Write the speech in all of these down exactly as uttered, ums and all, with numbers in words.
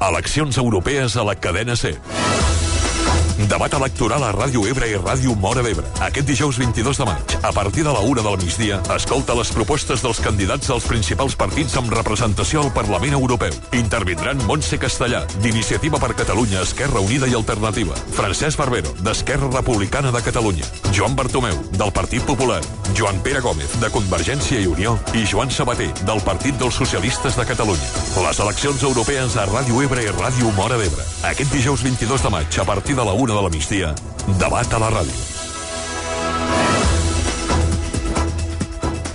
Eleccions europees a la cadena SER. Debat electoral a Ràdio Ebre i Ràdio Móra d'Ebre. Aquest dijous vint-i-dos de maig, a partir de la una del migdia, escolta les propostes dels candidats dels principals partits amb representació al Parlament Europeu. Intervindran Montse Castellà, d'Iniciativa per Catalunya, Esquerra Unida i Alternativa; Francesc Barbero, d'Esquerra Republicana de Catalunya; Joan Bartomeu, del Partit Popular; Joan Pere Gómez, de Convergència i Unió; i Joan Sabater, del Partit dels Socialistes de Catalunya. Les eleccions europees a Ràdio Ebre i Ràdio Móra d'Ebre. Aquest dijous vint-i-dos de maig, a partir de la una de la migdia, debat a la ràdio.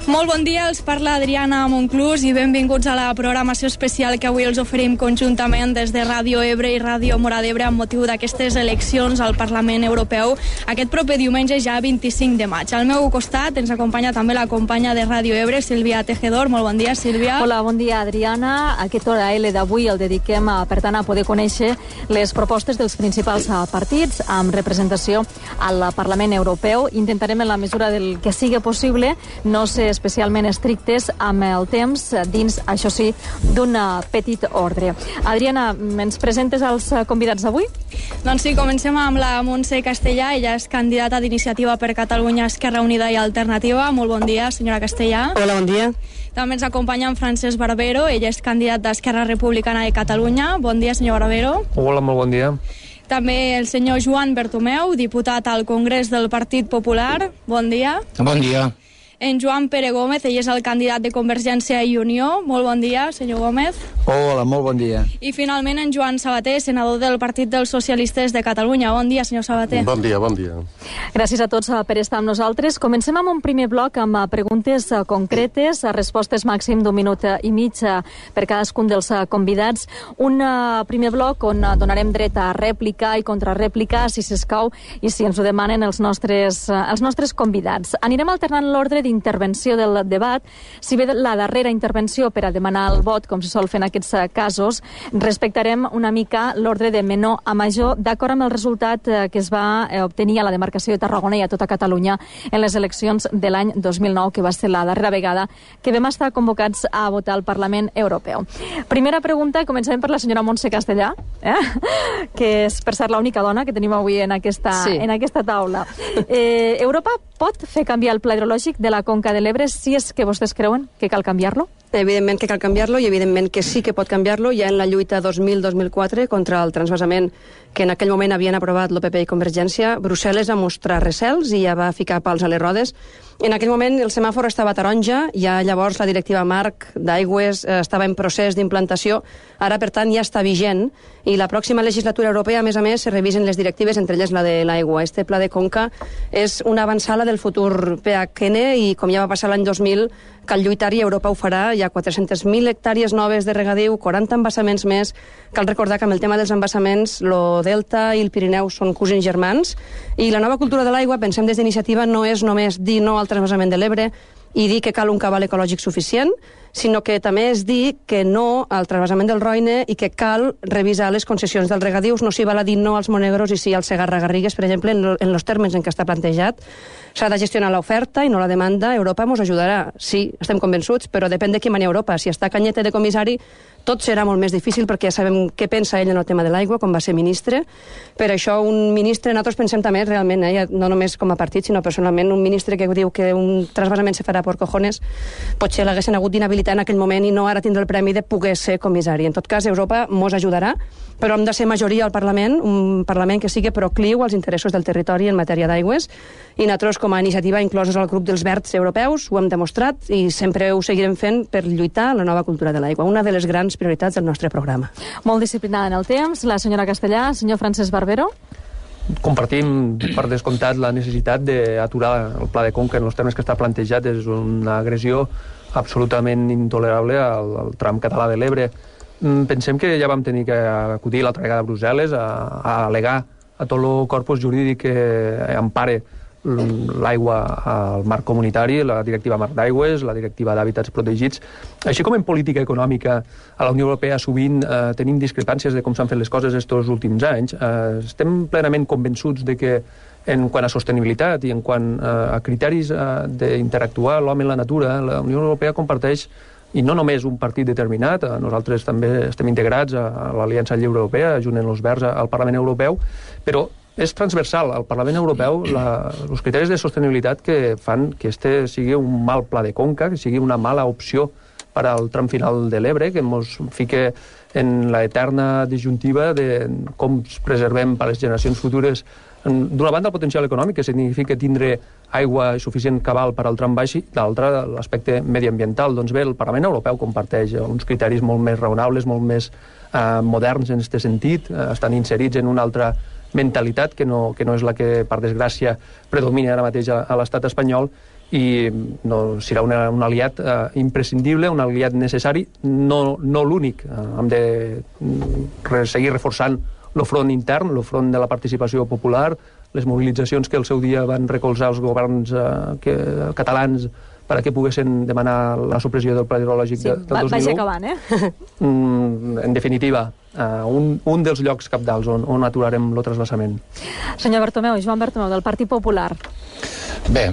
Molt bon dia, els parla Adriana Monclús i benvinguts a la programació especial que avui els oferim conjuntament des de Ràdio Ebre i Ràdio Móra d'Ebre amb motiu d'aquestes eleccions al Parlament Europeu aquest proper diumenge ja vint-i-cinc de maig. Al meu costat ens acompanya també la companya de Ràdio Ebre, Sílvia Tejedor. Molt bon dia, Sílvia. Hola, bon dia, Adriana. Aquest hora L d'avui el dediquem, a, per tant, a poder conèixer les propostes dels principals partits amb representació al Parlament Europeu. Intentarem, en la mesura del que sigui possible, no ser especialment estrictes amb el temps, dins, això sí, d'un petit ordre. Adriana, ens presentes els convidats d'avui? Doncs sí, comencem amb la Montse Castellà. Ella és candidata d'Iniciativa per Catalunya, Esquerra Unida i Alternativa. Molt bon dia, senyora Castellà. Hola, bon dia. També ens acompanya en Francesc Barbero. Ell és candidat d'Esquerra Republicana de Catalunya. Bon dia, senyor Barbero. Hola, molt bon dia. També el senyor Joan Bartomeu, diputat al Congrés del Partit Popular. Bon dia. Bon dia. En Joan Pere Gómez, ell és el candidat de Convergència i Unió. Molt bon dia, senyor Gómez. Hola, molt bon dia. I finalment en Joan Sabater, senador del Partit dels Socialistes de Catalunya. Bon dia, senyor Sabater. Bon dia, bon dia. Gràcies a tots per estar amb nosaltres. Comencem amb un primer bloc amb preguntes concretes, respostes màxim d'un minut i mig per cadascun dels convidats. Un primer bloc on donarem dret a rèplica i contrarèplica, si s'escau, i si ens ho demanen els nostres, els nostres convidats. Anirem alternant l'ordre d'intervenció del debat. Si bé la darrera intervenció per a demanar el vot, com se sol fer en aquests casos, respectarem una mica l'ordre de menor a major, d'acord amb el resultat que es va obtenir a la demarcació de Tarragona i a tota Catalunya en les eleccions de l'any dos mil nou, que va ser la darrera vegada que vam estar convocats a votar al Parlament Europeu. Primera pregunta, començarem per la senyora Montse Castellà, eh? que és, per cert, l'única dona que tenim avui en aquesta, sí. en aquesta taula. Eh, Europa pot fer canviar el pla hidrològic de la Conca de l'Ebre si és que vostès creuen que cal canviar-lo? Evidentment que cal canviar-lo i evidentment que sí que pot canviar-lo. Ja en la lluita dos mil dos mil quatre contra el transvasament que en aquell moment havien aprovat l'O P P i Convergència, Brussel·les va mostrar recels i ja va ficar pals a les rodes. En aquell moment el semàfor estava taronja, ja llavors la directiva marc d'aigües estava en procés d'implantació, ara per tant ja està vigent i la pròxima legislatura europea, a més a més, se revisen les directives, entre elles la de l'aigua. Este pla de conca és una avançada del futur P H N i com ja va passar l'any dos mil, cal lluitar i Europa ho farà. Hi ha quatre-centes mil hectàrees noves de regadiu, quaranta embassaments més. Cal recordar que amb el tema dels embassaments lo Delta i el Pirineu són cosins germans i la nova cultura de l'aigua, pensem des d'Iniciativa, no és només dir no al transvasament de l'Ebre i dir que cal un cabal ecològic suficient, sinó que també és dir que no al transvasament del Roine i que cal revisar les concessions dels regadius. No s'hi val a dir no als Monegros i sí al Segarra-Garrigues, per exemple, en els termes en què està plantejat. S'ha de gestionar l'oferta i no la demanda. Europa ens ajudarà, sí, estem convençuts, però depèn de qui mani Europa. Si està Cañete de comissari, tot serà molt més difícil perquè ja sabem què pensa ell en el tema de l'aigua, com va ser ministre. Per això un ministre, nosaltres pensem també realment, eh, no només com a partit, sinó personalment, un ministre que diu que un transvasament se farà por cojones, potser l'haguessin hagut d'inhabilitar en aquell moment i no ara tindre el premi de poder ser comissari. En tot cas, Europa mos ajudarà, però hem de ser majoria al Parlament, un Parlament que sigui procliu als interessos del territori en matèria d'aigües, i nosaltres com a iniciativa inclosos al grup dels verds europeus ho hem demostrat i sempre ho seguirem fent per lluitar la nova cultura de l'aigua, una de les grans prioritats del nostre programa. Molt disciplinada en el temps, la senyora Castellà. Senyor Francesc Barbero. Compartim per descomptat la necessitat d'aturar el pla de conca en els termes que està plantejat. És una agressió absolutament intolerable al, al tram català de l'Ebre. Pensem que ja vam tenir que acudir l'altra vegada a Brussel·les a, a al·legar a tot el corpus jurídic que empare l'aigua al marc comunitari, la directiva marc d'aigües, la directiva d'hàbitats protegits. Així com en política econòmica a la Unió Europea sovint eh, tenim discrepàncies de com s'han fet les coses estos últims anys, eh, estem plenament convençuts de que en quant a sostenibilitat i en quant eh, a criteris eh, d'interactuar l'home i la natura, la Unió Europea comparteix i no només un partit determinat, nosaltres també estem integrats a l'Aliança Lliure Europea, junt amb els Verds al Parlament Europeu, però és transversal. Al Parlament Europeu, la, els criteris de sostenibilitat que fan que este sigui un mal pla de conca, que sigui una mala opció per al tram final de l'Ebre, que ens fique en la eterna disjuntiva de com preservem per a les generacions futures, d'una banda el potencial econòmic, que significa tindre aigua i suficient cabal per al tram baix, i d'altra l'aspecte mediambiental. Doncs bé, el Parlament Europeu comparteix uns criteris molt més raonables, molt més eh, moderns en aquest sentit, eh, estan inserits en una altra mentalitat que no, que no és la que, per desgràcia, predomina ara mateix a, a l'estat espanyol, i no, serà una, un aliat eh, imprescindible, un aliat necessari, no, no l'únic. Eh, hem de re, seguir reforçant el front intern, el front de la participació popular, les mobilitzacions que al seu dia van recolzar els governs eh, que, catalans perquè poguessin demanar la supressió del pla hidrològic sí, de, del dos mil u. Vaig acabant, eh? Mm, en definitiva, uh, un, un dels llocs capdals on, on aturarem el trasbassament. Senyor Bertomeu, Joan Bertomeu, del Partit Popular. Bé,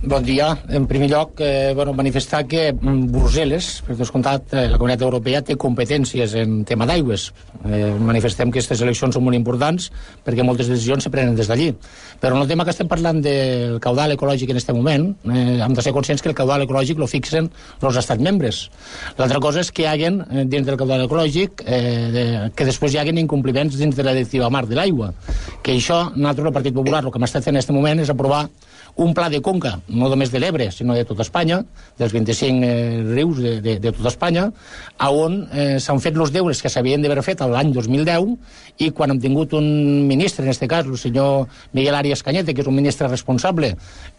bon dia. En primer lloc, eh, bueno, manifestar que Brussel·les, per descomptat, eh, la Comunitat Europea té competències en tema d'aigües. Eh, manifestem que aquestes eleccions són molt importants perquè moltes decisions se prenen des d'allí. Però en el tema que estem parlant del caudal ecològic en aquest moment, eh, hem de ser conscients que el caudal ecològic lo fixen els estats membres. L'altra cosa és que hi haguen, eh, dins del caudal ecològic, eh, de, que després hi haguen incompliments dins de la directiva marc de l'aigua. Que això, nosaltres, el Partit Popular, el que hem estat fent en aquest moment és aprovar un pla de conca, no només de l'Ebre, sinó de tota Espanya, dels vint-i-cinc eh, rius de, de, de tota Espanya, a on eh, s'han fet els deures que s'havien d'haver fet l'any dos mil deu, i quan hem tingut un ministre, en aquest cas, el senyor Miguel Arias Cañete, que és un ministre responsable,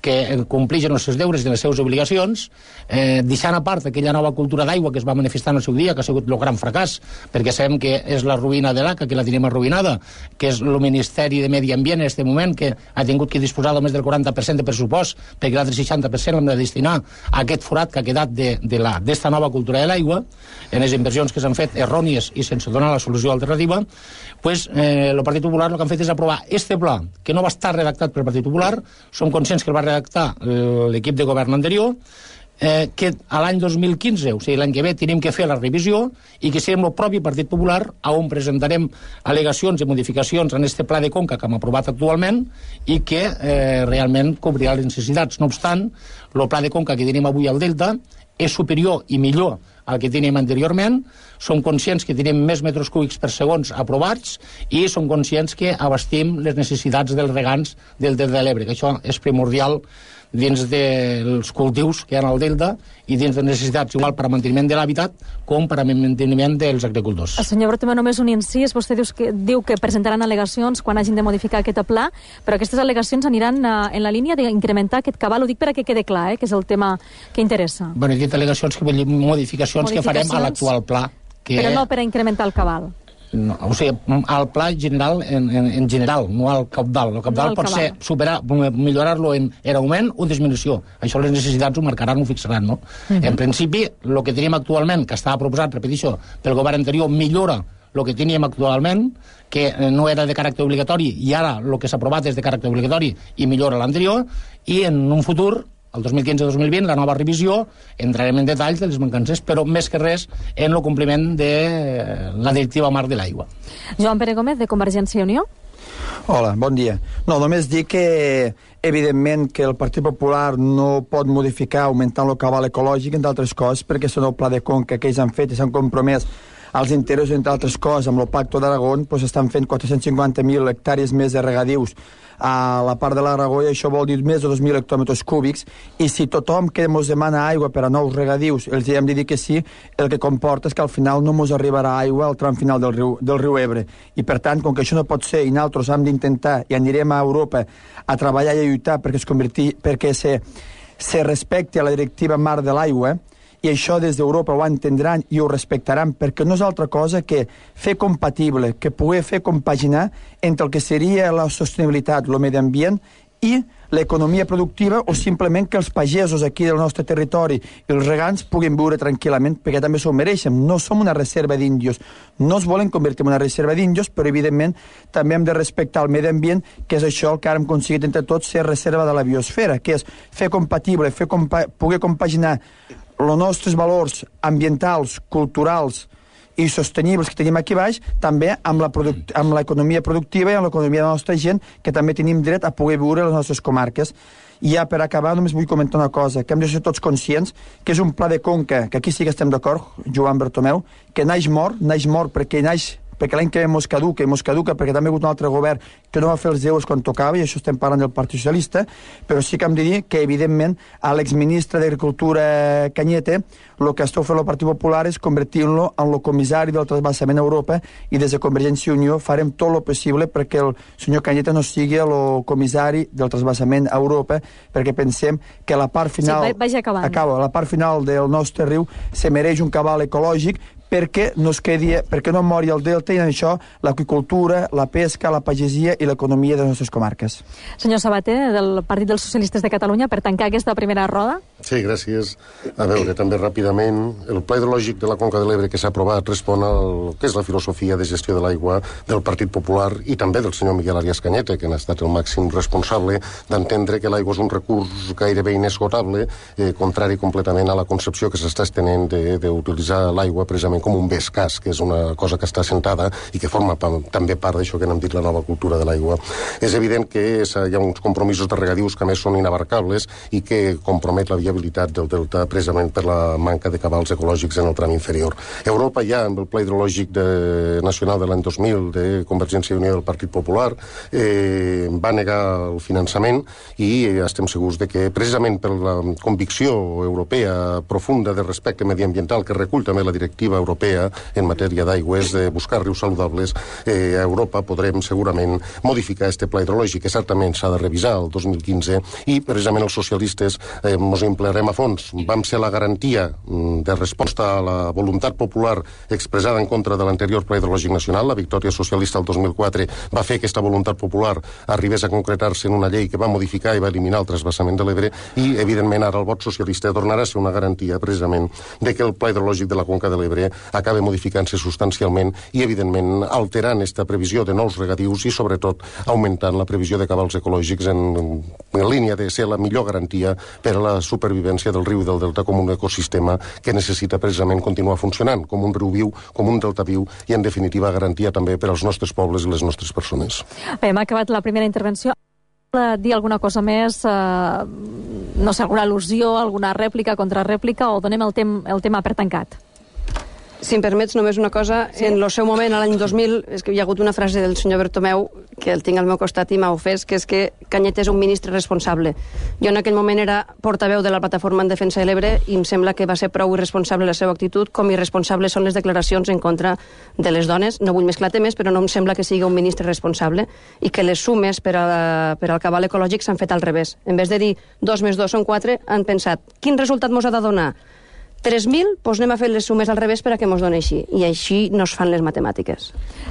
que compleix els seus deures i les seves obligacions, eh, deixant a part aquella nova cultura d'aigua que es va manifestar en el seu dia, que ha sigut el gran fracàs, perquè sabem que és la ruïna de l'A C A, que la tenim arruïnada, que és el Ministeri de Medi Ambient en aquest moment, que ha tingut que disposar només del quaranta per cent de pressupost, perquè l'altre seixanta per cent l'hem de destinar a aquest forat que ha quedat d'esta nova cultura de l'aigua, en les inversions que s'han fet errònies i sense donar la solució alternativa. Pues, eh, el Partit Popular el que han fet és aprovar este pla, que no va estar redactat pel Partit Popular, som conscients que el va redactar l'equip de govern anterior, eh, que a l'any dos mil quinze, o sigui, l'any que ve, tenim que fer la revisió i que serem el propi Partit Popular on presentarem al·legacions i modificacions en este pla de conca que hem aprovat actualment i que eh, realment cobrirà les necessitats. No obstant, el pla de conca que tenim avui al Delta és superior i millor al que teníem anteriorment. Som conscients que tenim més metres cúbics per segons aprovats i som conscients que abastim les necessitats dels regants del Delta de l'Ebre, que això és primordial dins dels cultius que hi ha al Delta i dins de necessitats igual per a manteniment de l'hàbitat com per a manteniment dels agricultors. El senyor Bertomeu, només un incís. Vostè diu que, diu que presentaran al·legacions quan hagin de modificar aquest pla, però aquestes al·legacions aniran uh, en la línia d'incrementar aquest cabal. Ho dic per a que quede clar, eh, que és el tema que interessa. Bueno, he dit al·legacions, que vull dir modificacions, modificacions que farem a l'actual pla. Que... Però no per a incrementar el cabal. No, o sigui, al pla general, en, en, en general, no al cabdal. El cabdal no pot cabal. ser superar, millorar-lo en, en augment o disminució. Això les necessitats ho marcaran, ho fixaran, no? Uh-huh. En principi, el que tenim actualment, que estava proposat, repeteixo, pel govern anterior, millora el que teníem actualment, que no era de caràcter obligatori, i ara el que s'ha aprovat és de caràcter obligatori i millora l'anterior, i en un futur, el dos mil quinze dos mil vint, la nova revisió, entrarem en detalls de les mancances, però més que res en el compliment de la directiva marc de l'aigua. Joan Pere Gómez, de Convergència i Unió. Hola, bon dia. No, només dir que, evidentment, que el Partit Popular no pot modificar augmentant el cabal ecològic, entre altres coses, perquè és el pla de conca que ells han fet i s'han compromès als interessos, entre altres coses, amb el Pacto d'Aragón, doncs estan fent quatre-cents cinquanta mil hectàrees més de regadius a la part de l'Aragó, i això vol dir més de dos mil hectòmetres cúbics, i si tothom que ens demana aigua per a nous regadius els hem de dir que sí, el que comporta és que al final no ens arribarà aigua al tram final del riu, del riu Ebre, i per tant, com que això no pot ser i nosaltres hem d'intentar i anirem a Europa a treballar i a lluitar perquè es convertir, perquè se, se respecti a la directiva marc de l'aigua, i això des d'Europa ho entendran i ho respectaran, perquè no és altra cosa que fer compatible, que poder fer compaginar entre el que seria la sostenibilitat, el medi ambient i l'economia productiva, o simplement que els pagesos aquí del nostre territori i els regants puguin viure tranquil·lament, perquè també s'ho mereixen. No som una reserva d'índios, no es volen convertir en una reserva d'índios, però evidentment també hem de respectar el medi ambient, que és això el que ara hem aconseguit entre tots ser reserva de la biosfera, que és fer compatible, fer compa poder compaginar els nostres valors ambientals, culturals i sostenibles que tenim aquí baix, també amb la produc- amb l'economia productiva i amb l'economia de la nostra gent, que també tenim dret a poder viure a les nostres comarques. I ja per acabar només vull comentar una cosa, que hem de ser tots conscients que és un pla de conca, que aquí sí que estem d'acord, Joan Bertomeu, que naix mort, naix mort perquè naix perquè l'any que ve mos caduca, i mos caduca perquè també ha hagut un altre govern que no va fer els deures quan tocava, i això estem parlant del Partit Socialista, però sí que hem de dir que, evidentment, a l'exministre d'Agricultura Cañete, el que esteu fent el Partit Popular és convertir-lo en el comissari del trasbassament a Europa, i des de Convergència i Unió farem tot el possible perquè el senyor Cañete no sigui el comissari del trasbassament a Europa, perquè pensem que la part final, sí, vagi acabant. acaba, la part final del nostre riu se mereix un cabal ecològic perquè no es quedi, perquè no mori el delta, i en això l'aqüicultura, la pesca, la pagesia i l'economia de les nostres comarques. Senyor Sabater, del Partit dels Socialistes de Catalunya, per tancar aquesta primera roda. Sí, gràcies. A veure, també ràpidament, el Pla Hidrològic de la Conca de l'Ebre que s'ha aprovat respon al que és la filosofia de gestió de l'aigua del Partit Popular i també del senyor Miguel Arias Cañete, que n'ha estat el màxim responsable d'entendre que l'aigua és un recurs gairebé inesgotable, eh, contrari completament a la concepció que s'està estenent d'utilitzar l'aigua precisament com un bé escàs, que és una cosa que està assentada i que forma pa, també part d'això que n'hem dit la nova cultura de l'aigua. És evident que hi ha uns compromisos de regadius que a més són inabarcables i que compromet la viabilitat del delta precisament per la manca de cabals ecològics en el tram inferior. Europa ja, amb el Pla Hidrològic de, nacional de l'any dos mil de Convergència i Unió del Partit Popular, eh, va negar el finançament, i estem segurs de que precisament per la convicció europea profunda de respecte mediambiental que recull també la directiva europea en matèria d'aigües, de buscar rius saludables, eh, a Europa podrem segurament modificar este pla hidrològic, que certament s'ha de revisar el dos mil quinze, i precisament els socialistes eh, ens emplearem a fons. Vam ser la garantia de resposta a la voluntat popular expressada en contra de l'anterior pla hidrològic nacional. La victòria socialista el dos mil quatre va fer que aquesta voluntat popular arribés a concretar-se en una llei que va modificar i va eliminar el trasbassament de l'Ebre, i evidentment ara el vot socialista tornarà a ser una garantia precisament de que el pla hidrològic de la Conca de l'Ebre acaba modificant-se substancialment i, evidentment, alterant aquesta previsió de nous regadius i, sobretot, augmentant la previsió de cabals ecològics en, en línia de ser la millor garantia per a la supervivència del riu i del delta com un ecosistema que necessita precisament continuar funcionant, com un riu viu, com un delta viu, i, en definitiva, garantia també per als nostres pobles i les nostres persones. Bé, hem acabat la primera intervenció. Dir alguna cosa més, eh, no sé, alguna al·lusió, alguna rèplica, contrarèplica, o donem el, tem el tema per tancat? Si em permets, només una cosa. Sí. En el seu moment, a l'any dos mil, és que hi ha hagut una frase del senyor Bertomeu, que el tinc al meu costat i m'ha ofès, que és que Cañete és un ministre responsable. Jo en aquell moment era portaveu de la plataforma en defensa de l'Ebre i em sembla que va ser prou irresponsable la seva actitud, com irresponsables són les declaracions en contra de les dones. No vull mesclar temes, però no em sembla que sigui un ministre responsable i que les sumes per, a la, per al cabal ecològic s'han fet al revés. En vez de dir dos més dos són quatre, han pensat quin resultat mos ha de donar? tres mil, doncs anem a fer les sumes al revés per a que mos doni així. I així no es fan les matemàtiques.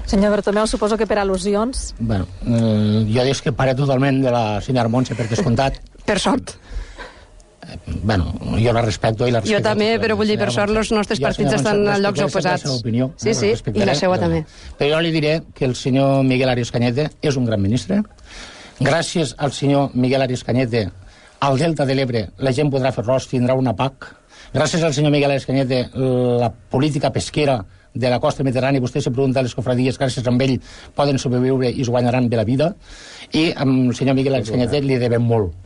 Senyor Bertomeu, suposo que per al·lusions... Bueno, eh, jo discreparé totalment de la senyora Montse, per descomptat. Per sort. Eh, bueno, jo la respecto i la respecto. Jo també, però vull dir, per sort, els nostres partits estan a llocs oposats. Opinió, sí, sí, i la seva també. Però jo li diré que el senyor Miguel Arias Cañete és un gran ministre. Gràcies al senyor Miguel Arias Cañete, al Delta de l'Ebre, la gent podrà fer arròs, tindrà una P A C. Gràcies al senyor Miguel Arias Cañete, la política pesquera de la costa mediterrània, vostè se pregunta a les cofradies, gràcies a ell poden sobreviure i es guanyaran bé la vida, i amb el senyor Miguel Arias Cañete li devem molt.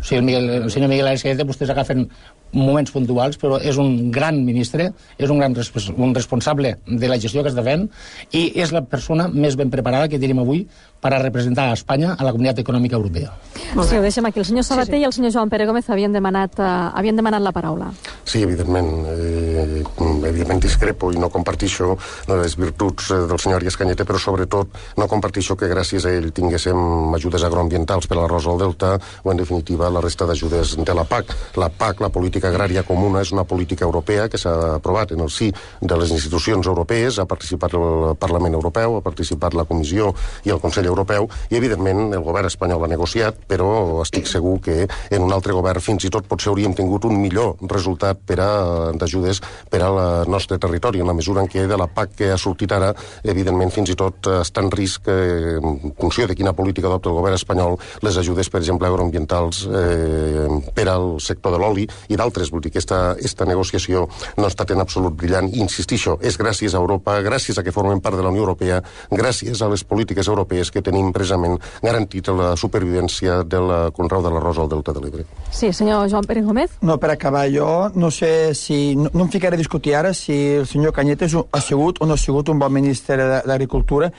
O sigui, el, Miguel, el senyor Miguel Arias Cañete, vostès agafen moments puntuals, però és un gran ministre, és un gran respons un responsable de la gestió que està fent, i és la persona més ben preparada que tenim avui per a representar a Espanya a la Comunitat Econòmica Europea. Sí, ho deixem aquí. El senyor Sabater sí, sí. i el senyor Joan Pere Gómez havien demanat, uh, havien demanat la paraula. Sí, evidentment. Eh, evidentment discrepo i no compartixo les virtuts del senyor Arias Cañete, però sobretot no compartixo que gràcies a ell tinguéssim ajudes agroambientals per a l'arròs al delta o, en definitiva, la resta d'ajudes de la P A C. La P A C, la política agrària comuna, és una política europea que s'ha aprovat en el si de les institucions europees, ha participat el Parlament Europeu, ha participat la Comissió i el Consell Europeu, i evidentment el govern espanyol ha negociat, però estic segur que en un altre govern fins i tot potser hauríem tingut un millor resultat per a d'ajudes per al nostre territori, en la mesura en què de la P A C que ha sortit ara, evidentment fins i tot està en risc, eh, en funció de quina política adopta el govern espanyol, les ajudes, per exemple, agroambientals eh, per al sector de l'oli i d'altres altres. Vull dir que esta, esta negociació no ha estat en absolut brillant. I insistisco, és gràcies a Europa, gràcies a que formem part de la Unió Europea, gràcies a les polítiques europees que tenim precisament garantit la supervivència del conreu de l'arròs al Delta de l'Ebre. Sí, senyor Joan Pérez Gómez. No, per acabar, jo no sé si... No, no em ficaré a discutir ara si el senyor Cañete ha sigut o no ha sigut un bon ministre d'Agricultura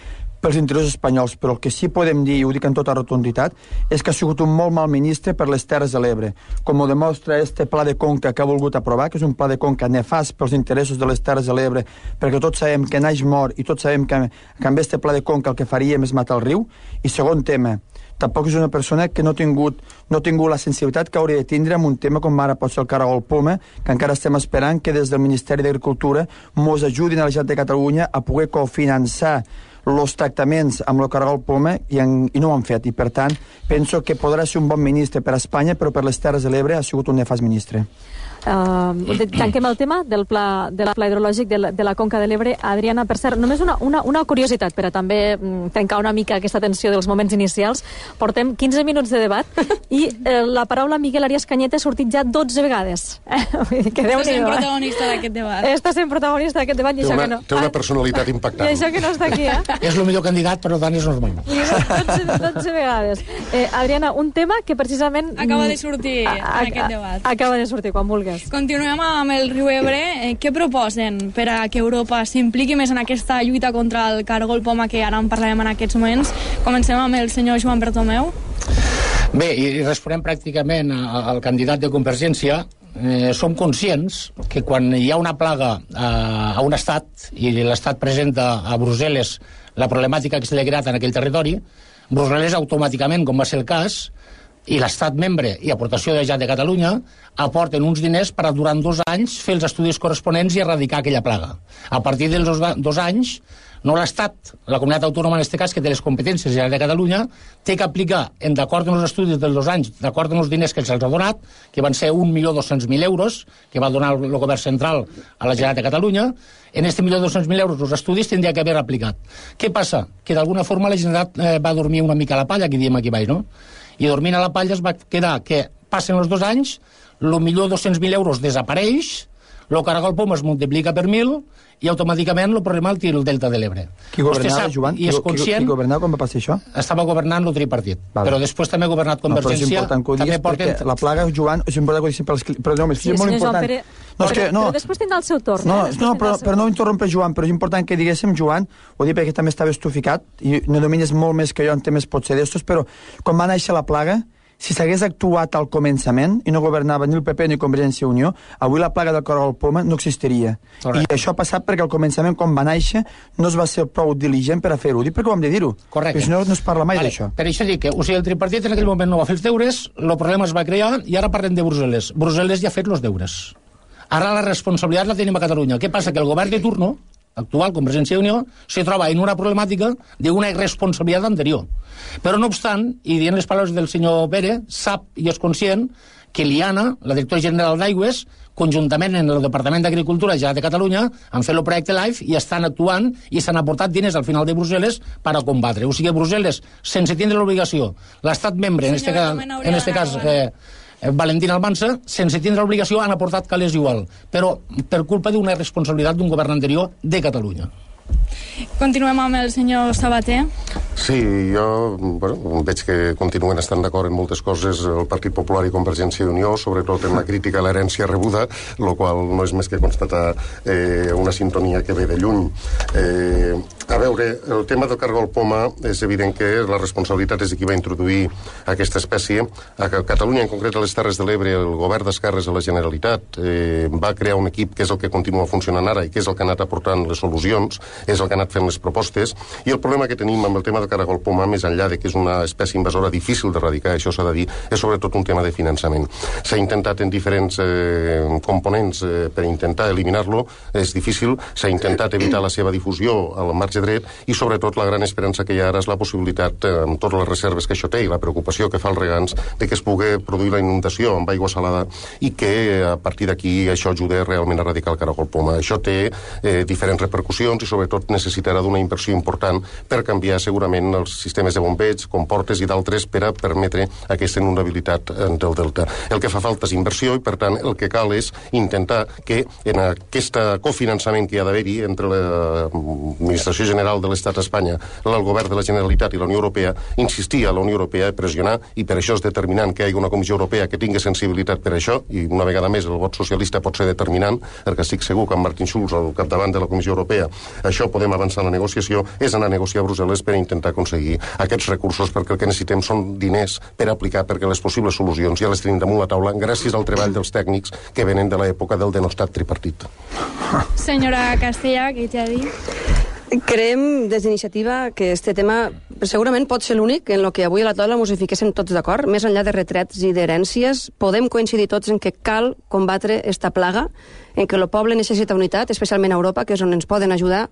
pels interessos espanyols, però el que sí podem dir, i ho dic en tota rotunditat, és que ha sigut un molt mal ministre per les Terres de l'Ebre, com ho demostra este pla de conca que ha volgut aprovar, que és un pla de conca nefast pels interessos de les Terres de l'Ebre, perquè tots sabem que naix mort i tots sabem que, que amb este pla de conca el que faríem és matar el riu. I segon tema, tampoc és una persona que no ha tingut, no ha tingut la sensibilitat que hauria de tindre en un tema com ara pot ser el caragol poma, que encara estem esperant que des del Ministeri d'Agricultura mos ajudin a la Generalitat de Catalunya a poder cofinançar els tractaments amb el caragol poma i, en, i no ho han fet, i per tant penso que podrà ser un bon ministre per a Espanya, però per les Terres de l'Ebre ha sigut un nefast ministre. Uh, tanquem el tema del pla, del pla hidrològic de la, de la Conca de l'Ebre. Adriana, per cert, només una, una, una curiositat per a també mm, trencar una mica aquesta tensió dels moments inicials. Portem quinze minuts de debat i eh, la paraula Miguel Arias Cañete ha sortit ja dotze vegades. Que Està sent protagonista d'aquest debat. Està sent protagonista d'aquest debat i té això una, que no... Té una personalitat impactant. I això que no està aquí, eh? És el millor candidat, però tant és normal. dotze, dotze vegades. Eh, Adriana, un tema que precisament... Acaba de sortir a, a, en aquest debat. Acaba de sortir, quan vulguis. Continuem amb el riu Ebre. Eh, què proposen per a que Europa s'impliqui més en aquesta lluita contra el caragol poma que ara en parlarem en aquests moments? Comencem amb el senyor Joan Bertomeu. Bé, i responem pràcticament al candidat de Convergència. Eh, som conscients que quan hi ha una plaga a, a un estat i l'estat presenta a Brussel·les la problemàtica que se li ha creat en aquell territori, Brussel·les automàticament, com va ser el cas, i l'estat membre i aportació de la Generalitat de Catalunya aporten uns diners per a durant dos anys fer els estudis corresponents i erradicar aquella plaga. A partir dels dos, dos anys, no l'Estat, la comunitat autònoma en aquest cas, que té les competències de la Generalitat de Catalunya, té que aplicar, en d'acord amb els estudis dels dos anys, d'acord amb els diners que se'ls ha donat, que van ser un milió dos-cents mil euros, que va donar el govern central a la Generalitat de Catalunya, en aquest milió dos-cents mil euros els estudis tindria que haver aplicat. Què passa? Que d'alguna forma la Generalitat eh, va dormir una mica a la palla, que diem aquí baix, no? I dormint a la palla es va quedar que passen els dos anys, el milió dos-cents mil euros desapareix, el caragol poma es multiplica per mil i automàticament el problema el tira el Delta de l'Ebre. Qui governava, Joan? I és conscient, qui, qui governava quan va passar això? Estava governant el tripartit, vale. Però després també ha governat Convergència. No, però és important que ho diguis perquè la plaga, Joan, és important que ho diguis pels... Però no, és sí, molt important. Pere... No, és que, no, però després tindrà el seu torn. No, eh? no però, però no interrompe Joan, però és important que diguéssim, Joan, ho dic perquè també estava estuficat, i no domines molt més que jo en temes potser d'estos, però quan va néixer la plaga, si s'hagués actuat al començament i no governava ni el P P ni Convergència i Unió, avui la plaga del caragol poma no existiria. Correcte. I això ha passat perquè al començament, quan va néixer, no es va ser prou diligent per a fer-ho. Dic perquè ho hem de dir-ho. Correcte. Perquè si no, no es parla mai vale. d'això. Per això dic que, o sigui, el tripartit en aquell moment no va fer els deures, el problema es va crear i ara parlem de Brussel·les. Brussel·les ja ha fet els deures. Ara la responsabilitat la tenim a Catalunya. Què passa? Que el govern de turno, actual, Convergència i Unió, se troba en una problemàtica d'una irresponsabilitat anterior. Però no obstant, i dient les paraules del senyor Pere, sap i és conscient que l'I A N A, la directora general d'Aigües, conjuntament en el Departament d'Agricultura de Catalunya, han fet el projecte LIFE i estan actuant i s'han aportat diners al final de Brussel·les per a combatre. O sigui, Brussel·les, sense tindre l'obligació, l'estat membre, en este cas, en este cas eh, Valentín Almansa, sense tindre obligació, han aportat calés igual, però per culpa d'una responsabilitat d'un govern anterior de Catalunya. Continuem amb el senyor Sabater. Sí, jo bueno, veig que continuen estant d'acord en moltes coses el Partit Popular i Convergència i Unió, sobretot en la crítica a l'herència rebuda, el qual no és més que constatar eh, una sintonia que ve de lluny. Eh, a veure, el tema del caragol poma és evident que la responsabilitat és de qui va introduir aquesta espècie. A Catalunya, en concret a les Terres de l'Ebre, el govern d'esquerres de la Generalitat eh, va crear un equip que és el que continua funcionant ara i que és el que ha anat aportant les solucions, és el que ha anat fent les propostes, i el problema que tenim amb el tema del caragol poma, més enllà de que és una espècie invasora difícil d'erradicar, això s'ha de dir, és sobretot un tema de finançament. S'ha intentat en diferents eh, components eh, per intentar eliminar-lo, és difícil, s'ha intentat evitar la seva difusió al marge marge dret, i sobretot la gran esperança que hi ha ara és la possibilitat, eh, amb totes les reserves que això té i la preocupació que fa els regants, de que es pugui produir la inundació amb aigua salada i que a partir d'aquí això ajuda realment a erradicar el caragol poma. Això té eh, diferents repercussions i sobretot necessitarà d'una inversió important per canviar segurament els sistemes de bombeig, comportes i d'altres per a permetre aquesta inundabilitat del delta. El que fa falta és inversió i per tant el que cal és intentar que en aquest cofinançament que hi ha d'haver-hi entre l'Administració General de l'Estat d'Espanya, el Govern de la Generalitat i la Unió Europea, insistir a la Unió Europea a pressionar, i per això és determinant que hi hagi una Comissió Europea que tingui sensibilitat per això, i una vegada més el vot socialista pot ser determinant, perquè estic segur que amb Martin Schulz al capdavant de la Comissió Europea això podem avançar en la negociació, és anar a negociar a Brussel·les per intentar aconseguir aquests recursos, perquè el que necessitem són diners per aplicar, perquè les possibles solucions ja les tenim damunt la taula gràcies al treball dels tècnics que venen de l'època del denostat tripartit. Senyora Castella, què t'ha dit? Creiem des d'iniciativa que este tema segurament pot ser l'únic en el que avui a la taula ens hi fiquéssim tots d'acord. Més enllà de retrets i d'herències, podem coincidir tots en que cal combatre esta plaga, en què el poble necessita unitat, especialment a Europa, que és on ens poden ajudar,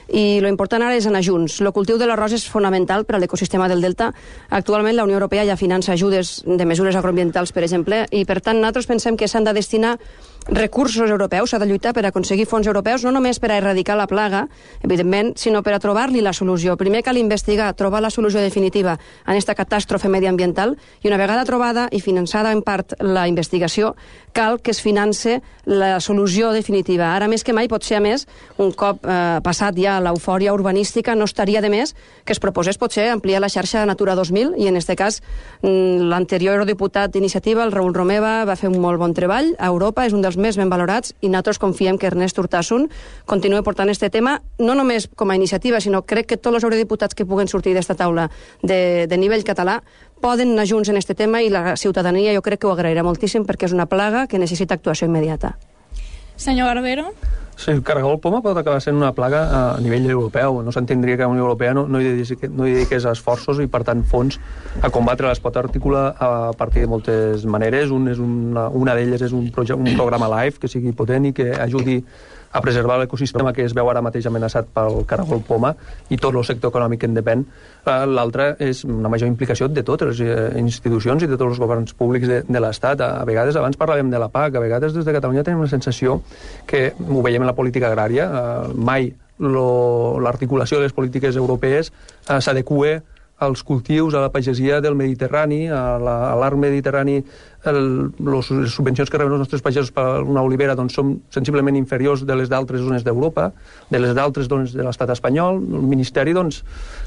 i lo important ara és anar junts. El cultiu de l'arròs és fonamental per a l'ecosistema del delta. Actualment la Unió Europea ja finança ajudes de mesures agroambientals, per exemple, i per tant nosaltres pensem que s'han de destinar recursos europeus, s'ha de lluitar per aconseguir fons europeus, no només per a erradicar la plaga, evidentment, sinó per a trobar-li la solució. Primer cal investigar, trobar la solució definitiva en aquesta catàstrofe mediambiental, i una vegada trobada i finançada en part la investigació, cal que es finance la solució definitiva. Ara més que mai, potser a més, un cop eh, passat ja l'eufòria urbanística, no estaria de més que es proposés potser ampliar la xarxa Natura dos mil, i en aquest cas l'anterior diputat d'iniciativa, el Raül Romeva, va fer un molt bon treball a Europa, és un dels més ben valorats, i nosaltres confiem que Ernest Urtasun continua portant este tema, no només com a iniciativa, sinó crec que tots els eurodiputats que puguen sortir d'esta taula de, de nivell català poden anar junts en este tema, i la ciutadania jo crec que ho agrairà moltíssim, perquè és una plaga que necessita actuació immediata. Senyor Barbero? Sí, el caragol poma pot acabar sent una plaga a nivell europeu. No s'entendria que la Unió Europea no, no, hi dediqués, no hi dediqués esforços i, per tant, fons a combatre. Es pot articular a partir de moltes maneres. Un és una, una d'elles és un, projecte, un programa LIFE que sigui potent i que ajudi a preservar l'ecosistema que es veu ara mateix amenaçat pel caragol poma i tot el sector econòmic que en depèn. L'altre és una major implicació de totes les institucions i de tots els governs públics de, de l'Estat. A vegades, abans parlàvem de la P A C, a vegades des de Catalunya tenim la sensació que ho veiem en la política agrària, eh, mai l'articulació de les polítiques europees eh, s'adequa als cultius, a la pagesia del Mediterrani, a l'arc mediterrani. El, los, les subvencions que reben els nostres pagesos per una olivera doncs, són sensiblement inferiors de les d'altres zones d'Europa, de les d'altres zones de l'estat espanyol. El Ministeri doncs,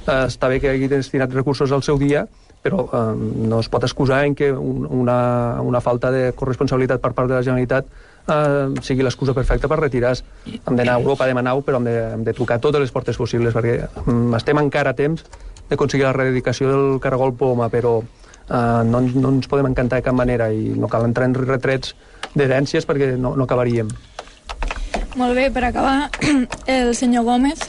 eh, està bé que hagi destinat recursos al seu dia, però eh, no es pot excusar en que un, una, una falta de corresponsabilitat per part de la Generalitat eh, sigui l'excusa perfecta per retirar-se. Hem d'anar a Europa, hem d'anar, però hem de, hem de trucar a totes les portes possibles, perquè um, estem encara a temps d'aconseguir la erradicació del caragol poma, però eh, no, no ens podem encantar de cap manera, i no cal entrar en retrets d'herències perquè no, no acabaríem. Molt bé, per acabar, el senyor Gómez.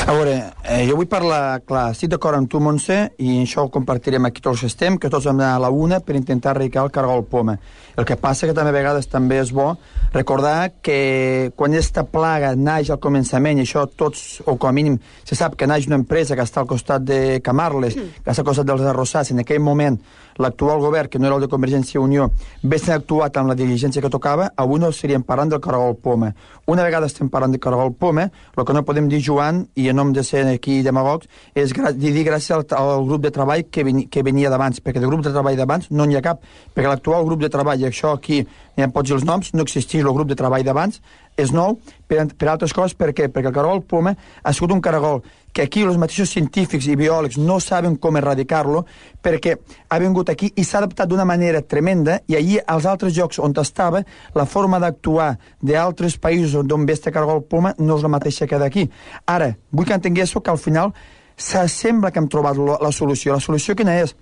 A veure, eh, jo vull parlar, clar, estic d'acord amb tu, Montse, i això ho compartirem aquí tots estem, que tots hem d'anar a la una per intentar erradicar el caragol poma. El que passa que també a vegades també és bo recordar que quan aquesta plaga naix al començament, i això tots, o com a mínim, se sap que naix una empresa que està al costat de Camarles, que està al costat dels arrossars, en aquell moment l'actual govern, que no era el de Convergència i Unió, haguessin actuat amb la diligència que tocava, avui no estaríem parlant del caragol poma. Una vegada estem parlant del caragol poma, el que no podem dir, Joan, i en nom de ser aquí demagogs, és dir gràcies al, al grup de treball que, veni, que venia d'abans, perquè de grup de treball d'abans no n'hi ha cap, perquè l'actual grup de treball, i això aquí ja em pots dir els noms, no existeix el grup de treball d'abans, és nou, per, per altres coses, per què? Perquè el caragol poma ha sigut un caragol que aquí els mateixos científics i biòlegs no saben com erradicar-lo, perquè ha vingut aquí i s'ha adaptat d'una manera tremenda, i allí als altres llocs on estava, la forma d'actuar d'altres països d'on ve este caragol poma no és la mateixa que d'aquí. Ara, vull que entenguéssiu que al final sembla que hem trobat la solució. La solució quina és?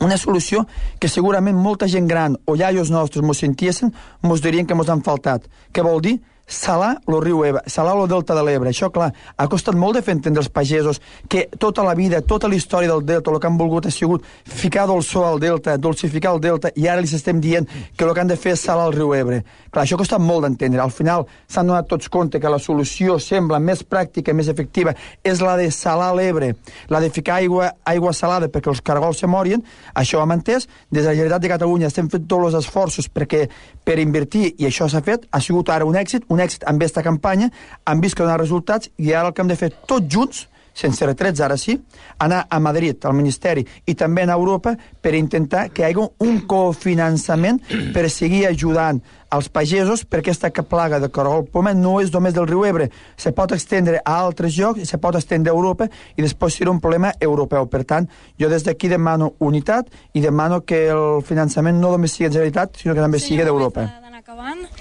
Una solució que segurament molta gent gran o iaios nostres mos sentiessin, mos dirien que mos han faltat. Què vol dir? salar el riu Ebre, salar el delta de l'Ebre. Això, clar, ha costat molt de fer entendre als pagesos que tota la vida, tota la història del delta, el que han volgut ha sigut ficar dolçor al delta, dolcificar el delta, i ara els estem dient que el que han de fer és salar el riu Ebre. Clar, això ha costat molt d'entendre. Al final s'han donat tots compte que la solució sembla més pràctica, més efectiva, és la de salar l'Ebre, la de ficar aigua, aigua salada perquè els caragols se morien. Això ho hem entès. Des de la Generalitat de Catalunya estem fent tots els esforços perquè, per invertir, i això s'ha fet, ha sigut ara un èxit, un èxit amb aquesta campanya, han vist que dona resultats, i ara el que hem de fer tots junts, sense retrets ara sí, anar a Madrid, al Ministeri, i també a Europa, per intentar que hi hagi un cofinançament per seguir ajudant als pagesos, perquè aquesta plaga de caragol poma no és només del riu Ebre, se pot extendre a altres llocs, se pot extendre a Europa, i després serà un problema europeu. Per tant, jo des d'aquí demano unitat i demano que el finançament no només sigui de Generalitat, sinó que també sigui d'Europa.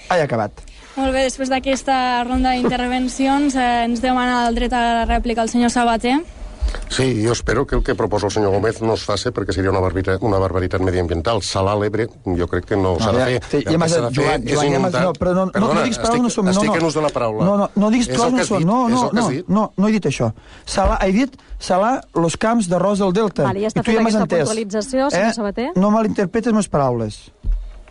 Ah, he acabat. Molt bé, després d'aquesta ronda d'intervencions eh, ens demana el dret a la rèplica el senyor Sabater. Sí, jo espero que el que proposa el senyor Gómez no es faci, perquè seria una barbaritat, una barbaritat mediambiental. Salar l'Ebre, jo crec que no s'ha de fer. Sí, ja m'has dit, Joan, Joan, ja m'has dit, no, però no, Perdona, no, no diguis paraules no són. Estic no, en ús de la paraula. No, no, no diguis paraules no són. No, no, no, no, no he dit això. Salar, he dit salar els camps d'arròs del Delta. Vale, ja està feta aquesta puntualització, senyor Sabater. No malinterpretes les paraules.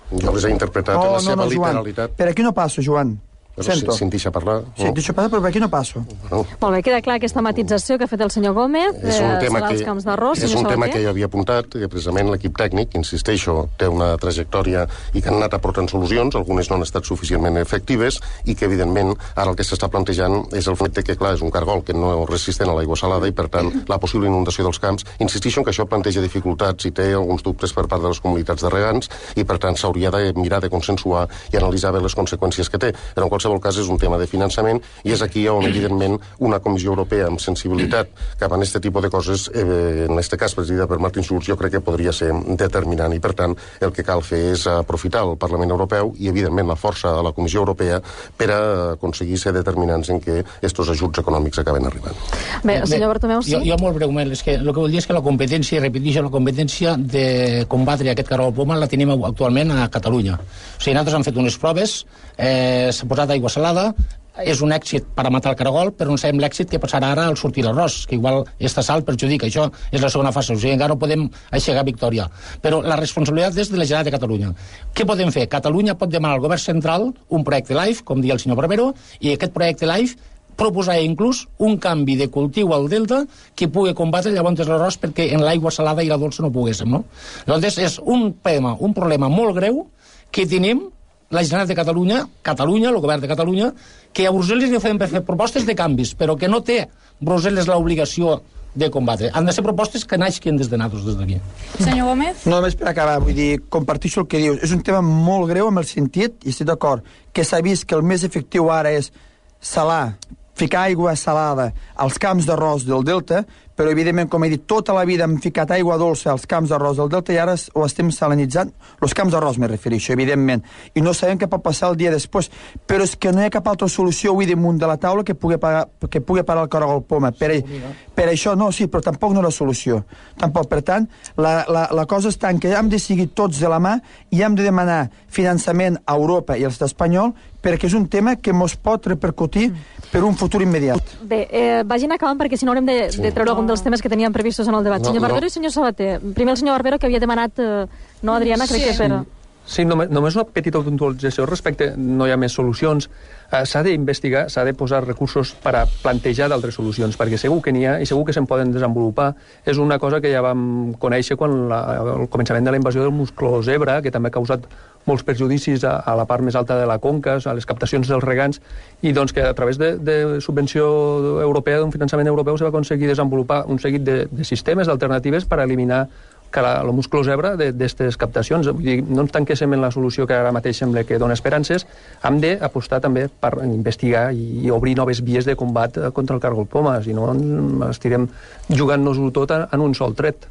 Jo les he interpretat en la seva literalitat. Per aquí no passo, Joan. Però si, si em deixa parlar... Sí, em deixa parlar, però per aquí no passo. No. Molt bé, queda clar aquesta matització que ha fet el senyor Gómez és un eh, tema sobre que, els camps d'arròs. És un tema que jo havia apuntat, que precisament l'equip tècnic, insisteixo, té una trajectòria i que han anat aportant solucions, algunes no han estat suficientment efectives, i que, evidentment, ara el que s'està plantejant és el fet que, clar, és un cargol que no és resistent a l'aigua salada i, per tant, la possible inundació dels camps. Insisteixo en que això planteja dificultats i té alguns dubtes per part de les comunitats de regants i, per tant, s'hauria de mirar de consensuar i analitzar bé les conseqüències que té. Però, en qualsevol cas, és un tema de finançament, i és aquí on, evidentment, una Comissió Europea amb sensibilitat cap a aquest tipus de coses, eh, en aquest cas presidida per Martin Schulz, jo crec que podria ser determinant, i per tant el que cal fer és aprofitar el Parlament Europeu i, evidentment, la força de la Comissió Europea per a aconseguir ser determinants en què aquests ajuts econòmics acaben arribant. Bé, el senyor Bartomeu, sí? Jo, jo molt breument, és que el que vull dir és que la competència, repeteixo, la competència de combatre aquest caragol poma la tenim actualment a Catalunya. O sigui, nosaltres hem fet unes proves, eh, s'ha posat aigua salada, és un èxit per a matar el caragol, però no sabem l'èxit que passarà ara al sortir l'arròs, que igual aquesta sal perjudica. Això és la segona fase, o sigui, encara no podem aixecar victòria. Però la responsabilitat és de la Generalitat de Catalunya. Què podem fer? Catalunya pot demanar al govern central un projecte LIFE, com diu el senyor Barbero, i aquest projecte LIFE proposar inclús un canvi de cultiu al delta que pugui combatre llavors l'arròs perquè en l'aigua salada i la dolça no poguéssim, no? Llavors és un problema, un problema molt greu que tenim la Generalitat de Catalunya, Catalunya, el govern de Catalunya, que a Brussel·les li fem per fer propostes de canvis, però que no té Brussel·les l'obligació de combatre. Han de ser propostes que naixin des de nosaltres, des d'aquí. Senyor Gómez? No, només per acabar, vull dir, comparteixo el que dius. És un tema molt greu amb el sentit, i estic d'acord, que s'ha vist que el més efectiu ara és salar, ficar aigua salada als camps d'arròs del delta, però evidentment, com he dit, tota la vida hem ficat aigua dolça als camps d'arròs del delta i ara ho estem salinitzant, els camps d'arròs me refereixo, evidentment, i no sabem què pot passar el dia després, però és que no hi ha cap altra solució avui damunt de la taula que pugui parar, que pugui parar el caragol poma. Per, per això, no, sí, però tampoc no és la solució. Tampoc, per tant, la, la, la cosa està en que hem de seguir tots de la mà i hem de demanar finançament a Europa i a l'estat espanyol, perquè és un tema que ens pot repercutir per un futur immediat. Bé, eh, vagin acabant perquè si no haurem de, sí. de treure algun dels temes que teníem previstos en el debat. No, senyor Barbero no. I senyor Sabater. Primer el senyor Barbero, que havia demanat... Eh, no, Adriana, crec sí. que per... Sí, només, només una petita puntualització respecte, no hi ha més solucions. Eh, s'ha d'investigar, s'ha de posar recursos per a plantejar d'altres solucions, perquè segur que n'hi ha i segur que se'n poden desenvolupar. És una cosa que ja vam conèixer quan la, el començament de la invasió del musclo zebra, que també ha causat molts perjudicis a, a la part més alta de la conca, a les captacions dels regants, i doncs que a través de, de subvenció europea, d'un finançament europeu, se va aconseguir desenvolupar un seguit de, de sistemes, d'alternatives per a eliminar que la, el musclo zebra d'aquestes captacions. Vull dir, no ens tanquéssim en la solució que ara mateix sembla que dona esperances, hem d'apostar també per investigar i, i obrir noves vies de combat contra el caragol poma, si no estirem jugant-nos-ho tot en un sol tret.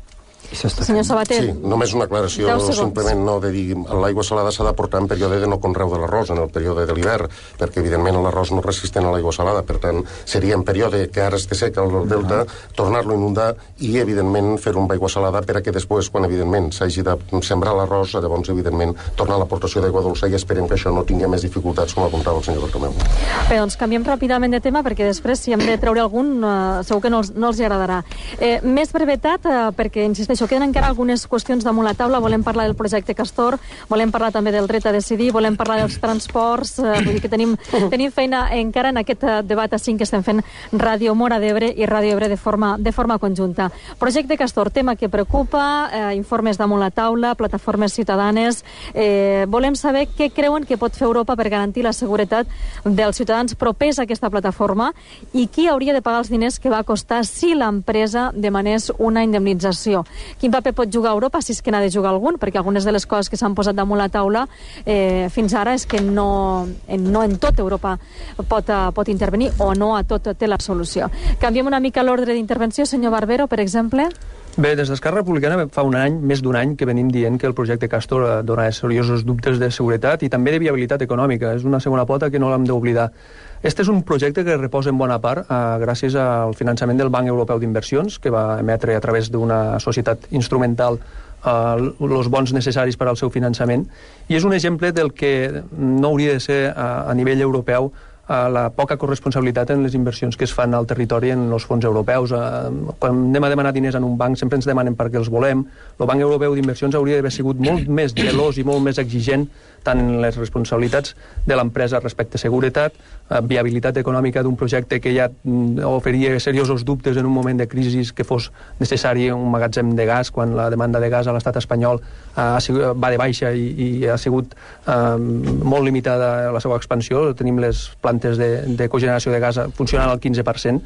Senyor Sabater. Sí, només una aclaració, simplement no de dir l'aigua salada s'ha d'aportar en període de no conreu de l'arròs, en el període de l'hivern, perquè evidentment l'arròs no resistent a l'aigua salada, per tant seria en període que ara es té seca al delta, tornar-lo a inundar i evidentment fer-ho amb aigua salada per a que després, quan evidentment s'hagi de sembrar l'arròs, llavors evidentment tornar a l'aportació d'aigua dolça i esperem que això no tingui més dificultats, com apuntava el senyor Bartomeu. Bé, doncs canviem ràpidament de tema perquè després si hem de treure algun eh, segur que no els, no els agradarà. Eh, més brevetat, eh, perquè insisteixo, queden encara algunes qüestions damunt la taula. Volem parlar del projecte Castor, volem parlar també del dret a decidir, volem parlar dels transports, eh, vull dir que tenim, tenim feina encara en aquest eh, debat a cinc que estem fent Ràdio Mora d'Ebre i Ràdio Ebre de forma, de forma conjunta. Projecte Castor, tema que preocupa, eh, informes damunt la taula, plataformes ciutadanes. Eh, volem saber què creuen que pot fer Europa per garantir la seguretat dels ciutadans propers a aquesta plataforma i qui hauria de pagar els diners que va costar si l'empresa demanés una indemnització. Quin paper pot jugar Europa, si és que n'ha de jugar algun, perquè algunes de les coses que s'han posat damunt la taula eh, fins ara és que no en, no en tot Europa pot, uh, pot intervenir o no a tot té la solució. Canviem una mica l'ordre d'intervenció, senyor Barbero, per exemple. Bé, des d'Esquerra Republicana fa un any, més d'un any, que venim dient que el projecte Castor dona seriosos dubtes de seguretat i també de viabilitat econòmica. És una segona pota que no l'hem d'oblidar. Este és un projecte que reposa en bona part eh, gràcies al finançament del Banc Europeu d'Inversions, que va emetre a través d'una societat instrumental els bons necessaris per al seu finançament, i és un exemple del que no hauria de ser a, a nivell europeu a la poca corresponsabilitat en les inversions que es fan al territori en els fons europeus. Quan anem a demanar diners en un banc sempre ens demanen perquè els volem. El Banc Europeu d'Inversions hauria d'haver sigut molt més gelós i molt més exigent tant en les responsabilitats de l'empresa respecte a seguretat, viabilitat econòmica d'un projecte que ja oferia seriosos dubtes en un moment de crisi que fos necessari un magatzem de gas, quan la demanda de gas a l'estat espanyol ha sigut, va de baixa i, i ha sigut eh, molt limitada la seva expansió. Tenim les plantes de, de cogeneració de gas funcionant al quinze per cent.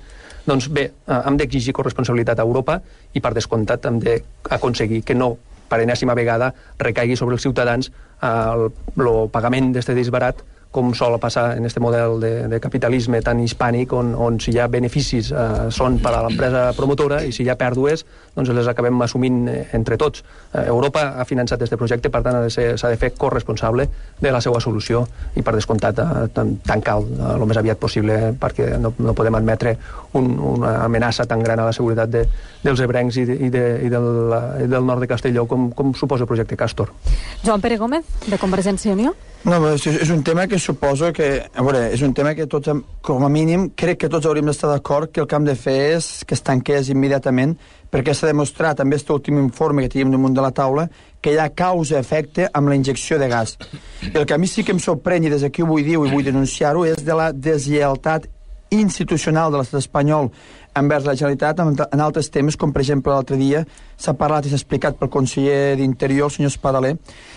Doncs bé, eh, hem d'exigir corresponsabilitat a Europa i per descomptat hem d'aconseguir que no per enèsima vegada recaigui sobre els ciutadans el, el pagament d'este disbarat, com sol passar en aquest model de, de capitalisme tan hispànic, on, on si hi ha beneficis eh, són per a l'empresa promotora i si hi ha pèrdues, doncs les acabem assumint entre tots. Eh, Europa ha finançat aquest projecte, per tant s'ha de fer corresponsable de la seva solució i per descomptat eh, tancar eh, el més aviat possible, perquè no, no podem admetre un, una amenaça tan gran a la seguretat de, dels ebrencs i, de, i, de, i, del, i del nord de Castelló com, com suposa el projecte Castor. Joan Pere Gómez, de Convergència i Unió. No, és, és un tema que suposo que... A veure, és un tema que tots, com a mínim, crec que tots hauríem d'estar d'acord que el que hem de fer és que es tanqués immediatament, perquè s'ha demostrat, també aquest últim informe que tenim damunt de la taula, que hi ha causa-efecte amb la injecció de gas. I el que a mi sí que em sorprèn, i des d'aquí ho vull dir i vull denunciar-ho, és de la deslleialtat institucional de l'estat espanyol envers la Generalitat en altres temes, com per exemple l'altre dia s'ha parlat i s'ha explicat pel conseller d'Interior, el senyor Espadaler,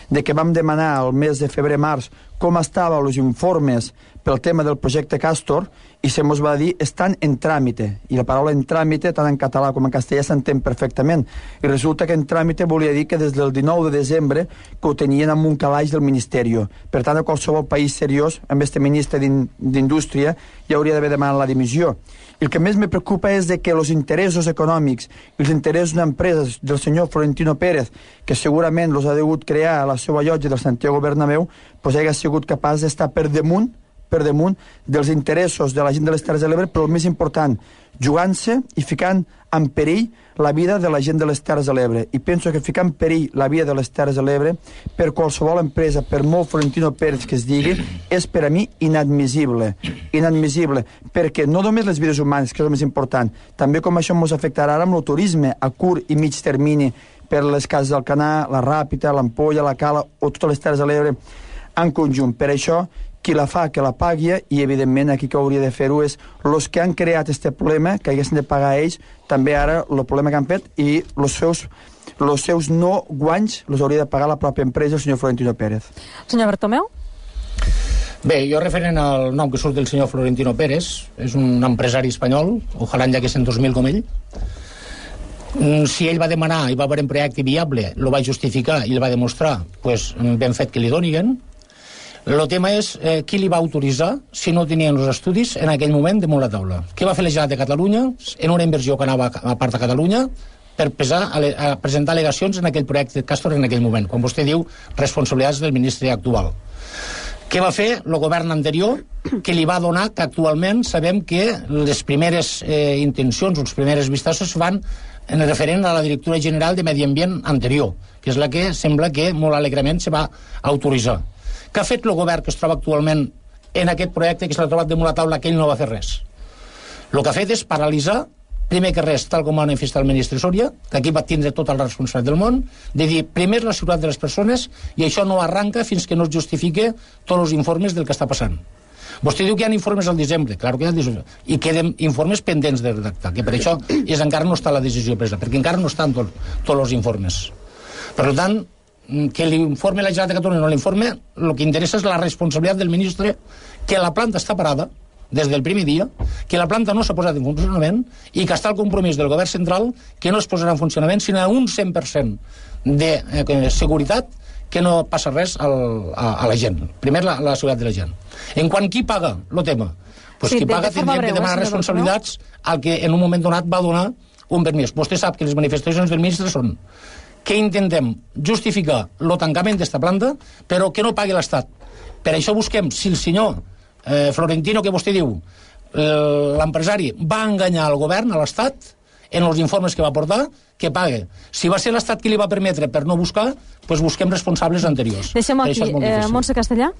de que vam demanar el mes de febrer-març com estaven els informes pel tema del projecte Castor i se mos va dir estan en tràmite, i la paraula en tràmite tant en català com en castellà s'entén perfectament, i resulta que en tràmite volia dir que des del dinou de desembre que ho tenien en un calaix del Ministeri. Per tant, a qualsevol país seriós amb este ministre d'Indústria ja hauria d'haver demanat la dimissió. I el que més me preocupa és de que els interessos econòmics i els interessos d'empreses del senyor Florentino Pérez, que segurament els ha degut crear a la seva llotja del Santiago Bernabéu, pues hagi sigut capaç d'estar per damunt per damunt dels interessos de la gent de les Terres de l'Ebre, però el més important, jugant-se i ficant en perill la vida de la gent de les Terres de l'Ebre. I penso que ficar en perill la vida de les Terres de l'Ebre per qualsevol empresa, per molt Florentino Pérez que es digui, és per a mi inadmissible. Inadmissible, perquè no només les vides humanes, que és el més important, també com això ens afectarà ara amb el turisme a curt i mig termini per les cases del Canà, la Ràpita, l'Ampolla, la Cala o totes les Terres de l'Ebre en conjunt. Per això, qui la fa, que la pagui, i evidentment aquí que hauria de fer-ho és els que han creat aquest problema, que haguessin de pagar ells, també ara el problema que han fet, i els seus, els seus no guanys els hauria de pagar la pròpia empresa, el senyor Florentino Pérez. Senyor Bartomeu? Bé, jo referent al nom que surt del senyor Florentino Pérez, és un empresari espanyol, ojalà en llaguessin dos mil com ell. Si ell va demanar i va haver un projecte viable, el va justificar i el va demostrar, pues ben fet que li doniguen. El tema és eh, qui li va autoritzar si no tenien els estudis en aquell moment damunt la taula. Què va fer la Generalitat de Catalunya en una inversió que anava a part de Catalunya? per pesar, a presentar al·legacions en aquell projecte de Castor en aquell moment, quan vostè diu responsabilitats del ministre actual. Què va fer el govern anterior que li va donar que actualment sabem que les primeres eh, intencions, les primeres vistosses van en referent a la directora general de Medi Ambient anterior, que és la que sembla que molt alegrement se va autoritzar. Què ha fet el govern que es troba actualment en aquest projecte que s'ha trobat damunt la taula que ell no va fer res? El que ha fet és paralitzar, primer que res, tal com va manifestar el ministre Soria, que aquí va tindre tota la responsabilitat del món, de dir, primer la seguretat de les persones, i això no arranca fins que no es justifique tots els informes del que està passant. Vostè diu que hi ha informes al desembre, clar que hi ha, i queden informes pendents de redactar, que per això és, encara no està la decisió presa, perquè encara no estan tot, tots els informes. Per tant, que l'informe la Generalitat de Catalunya no l'informe, el que interessa és la responsabilitat del ministre, que la planta està parada des del primer dia, que la planta no s'ha posat en funcionament i que està el compromís del govern central que no es posarà en funcionament sinó a un cent per cent de eh, seguretat, que no passa res al, a, a la gent. Primer, la, la seguretat de la gent. En quant qui paga el tema? Pues sí, qui paga tindria que demanar responsabilitats al que en un moment donat va donar un permís. Vostè sap que les manifestacions del ministre són que intentem justificar el tancament d'esta planta, però que no pagui l'Estat. Per això busquem, si el senyor eh, Florentino, que vostè diu, eh, l'empresari va enganyar al govern, a l'Estat, en els informes que va portar, que pague. Si va ser l'Estat qui li va permetre per no buscar, doncs busquem responsables anteriors. Deixem aquí, eh, Montse Castellà.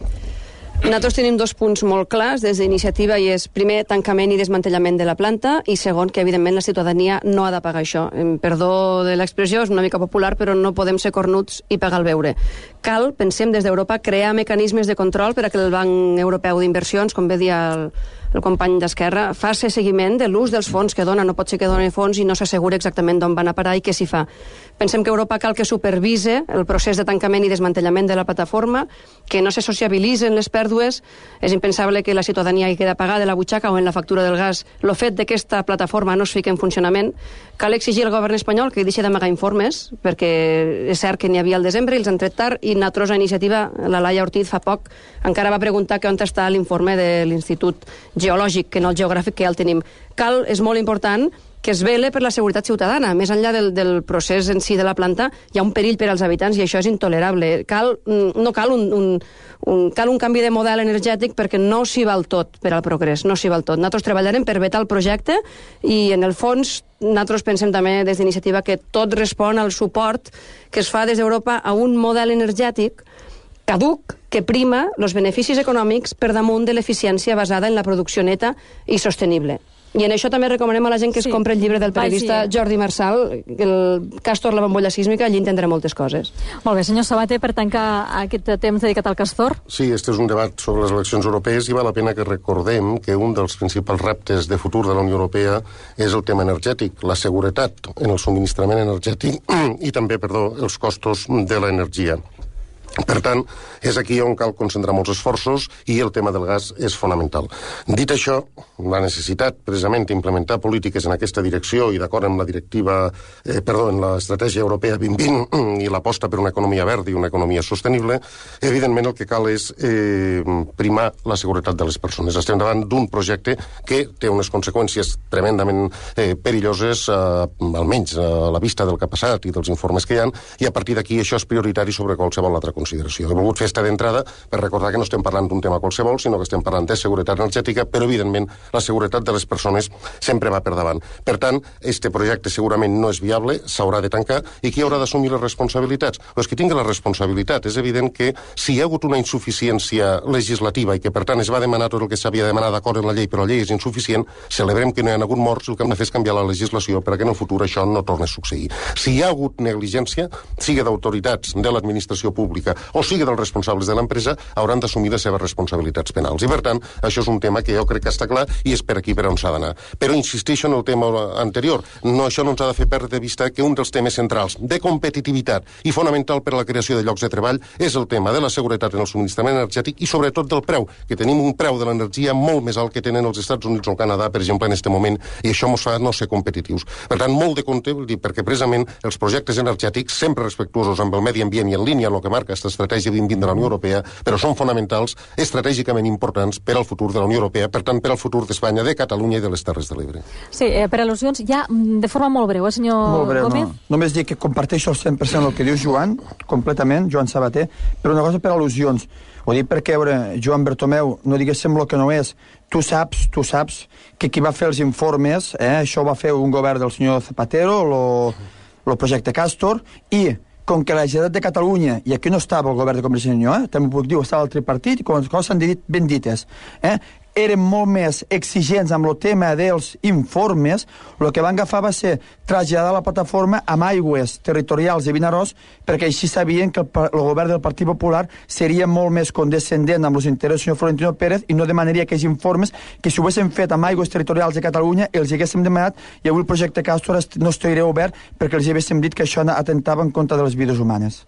Nosaltres tenim dos punts molt clars des d'iniciativa i és, primer, tancament i desmantellament de la planta i segon, que evidentment la ciutadania no ha de pagar això. Perdó de l'expressió, és una mica popular, però no podem ser cornuts i pagar el beure. Cal, pensem des d'Europa, crear mecanismes de control per a que el Banc Europeu d'Inversions, com bé dia el, el company d'Esquerra, faci seguiment de l'ús dels fons que dona. No pot ser que doni fons i no s'assegura exactament d'on van a parar i què s'hi fa. Pensem que Europa cal que supervise el procés de tancament i desmantellament de la plataforma, que no se sociabilitzen les pèrdues. És impensable que la ciutadania hi queda pagada de la butxaca o en la factura del gas el fet de que aquesta plataforma no es fiqui en funcionament. Cal exigir al govern espanyol que deixi d'amagar informes, perquè és cert que n'hi havia al desembre i els han tret tard, i nosaltres a iniciativa, la Laia Ortiz fa poc encara va preguntar que on està l'informe de l'Institut Geològic, que no el geogràfic, que ja el tenim. Cal, és molt important, que es vele per la seguretat ciutadana. Més enllà del, del procés en si de la planta, hi ha un perill per als habitants i això és intolerable. Cal, no cal un, un, un, cal un canvi de model energètic perquè no s'hi val tot per al progrés, no s'hi val tot. Nosaltres treballarem per vetar el projecte i, en el fons, nosaltres pensem també des d'iniciativa que tot respon al suport que es fa des d'Europa a un model energètic caduc que prima els beneficis econòmics per damunt de l'eficiència basada en la producció neta i sostenible. I en això també recomanem a la gent que es sí. compri el llibre del periodista Vagi. Jordi Marçal, el Castor, la bombolla sísmica, allí entendrà moltes coses. Molt bé, senyor Sabater, per tancar aquest temps dedicat al Castor. Sí, este és un debat sobre les eleccions europees i val la pena que recordem que un dels principals reptes de futur de la Unió Europea és el tema energètic, la seguretat en el subministrament energètic i també, perdó, els costos de l'energia. Per tant, és aquí on cal concentrar molts esforços i el tema del gas és fonamental. Dit això, la necessitat precisament d'implementar polítiques en aquesta direcció i d'acord amb la directiva, eh, perdó, en l'estratègia europea vint vint i l'aposta per una economia verda i una economia sostenible, evidentment el que cal és eh, primar la seguretat de les persones. Estem davant d'un projecte que té unes conseqüències tremendament eh, perilloses, eh, almenys a la vista del que ha passat i dels informes que hi ha, i a partir d'aquí això és prioritari sobre qualsevol altra consideració. He volgut fer esta d'entrada per recordar que no estem parlant d'un tema qualsevol, sinó que estem parlant de seguretat energètica, però evidentment la seguretat de les persones sempre va per davant. Per tant, este projecte segurament no és viable, s'haurà de tancar, i qui haurà d'assumir les responsabilitats? Pues qui tingui la responsabilitat. És evident que si hi ha hagut una insuficiència legislativa i que per tant es va demanar tot el que s'havia de demanar d'acord en la llei, però la llei és insuficient, celebrem que no hi ha hagut morts, el que hem de fer és canviar la legislació perquè en el futur això no torni a succeir. Si hi ha hagut negligència, sigui d'autoritats de l'administració pública o sigui dels responsables de l'empresa, hauran d'assumir les seves responsabilitats penals. I, per tant, això és un tema que jo crec que està clar i és per aquí per on s'ha d'anar. Però insisteixo en el tema anterior. No, això no ens ha de fer perdre de vista que un dels temes centrals de competitivitat i fonamental per a la creació de llocs de treball és el tema de la seguretat en el subministrament energètic i, sobretot, del preu, que tenim un preu de l'energia molt més alt que tenen els Estats Units o el Canadà, per exemple, en aquest moment, i això ens fa no ser competitius. Per tant, molt de compte, perquè precisament els projectes energètics, sempre respectuosos amb el medi ambient i en línia amb el que marca aquesta estratègia vint vint de la Unió Europea, però són fonamentals, estratègicament importants per al futur de la Unió Europea, per tant, per al futur d'Espanya, de Catalunya i de les Terres de l'Ebre. Sí, eh, per al·lusions, ja de forma molt breu, eh, senyor molt breu, Gómez? No. Només dir que comparteixo al cent per cent el que diu Joan, completament, Joan Sabater, però una cosa per al·lusions. Ho dic perquè, a veure, Joan Bertomeu, no diguéssim el que no és. Tu saps, tu saps que qui va fer els informes, eh, això va fer un govern del senyor Zapatero, el projecte Castor, i com que la Generalitat de Catalunya, i aquí no estava el govern de Convergència i Unió, eh, també ho puc dir, estava el tripartit, i com les coses s'han dit ben dites, eh, eren molt més exigents amb el tema dels informes, el que van agafar va ser traslladar la plataforma amb aigües territorials de Vinaròs, perquè així sabien que el, el govern del Partit Popular seria molt més condescendent amb els interessos del senyor Florentino Pérez i no demanaria aquells informes que si ho haguessin fet amb aigües territorials de Catalunya els haguéssim demanat i avui el projecte Castor no estaria obert perquè els haguéssim dit que això atentava en contra de les vides humanes.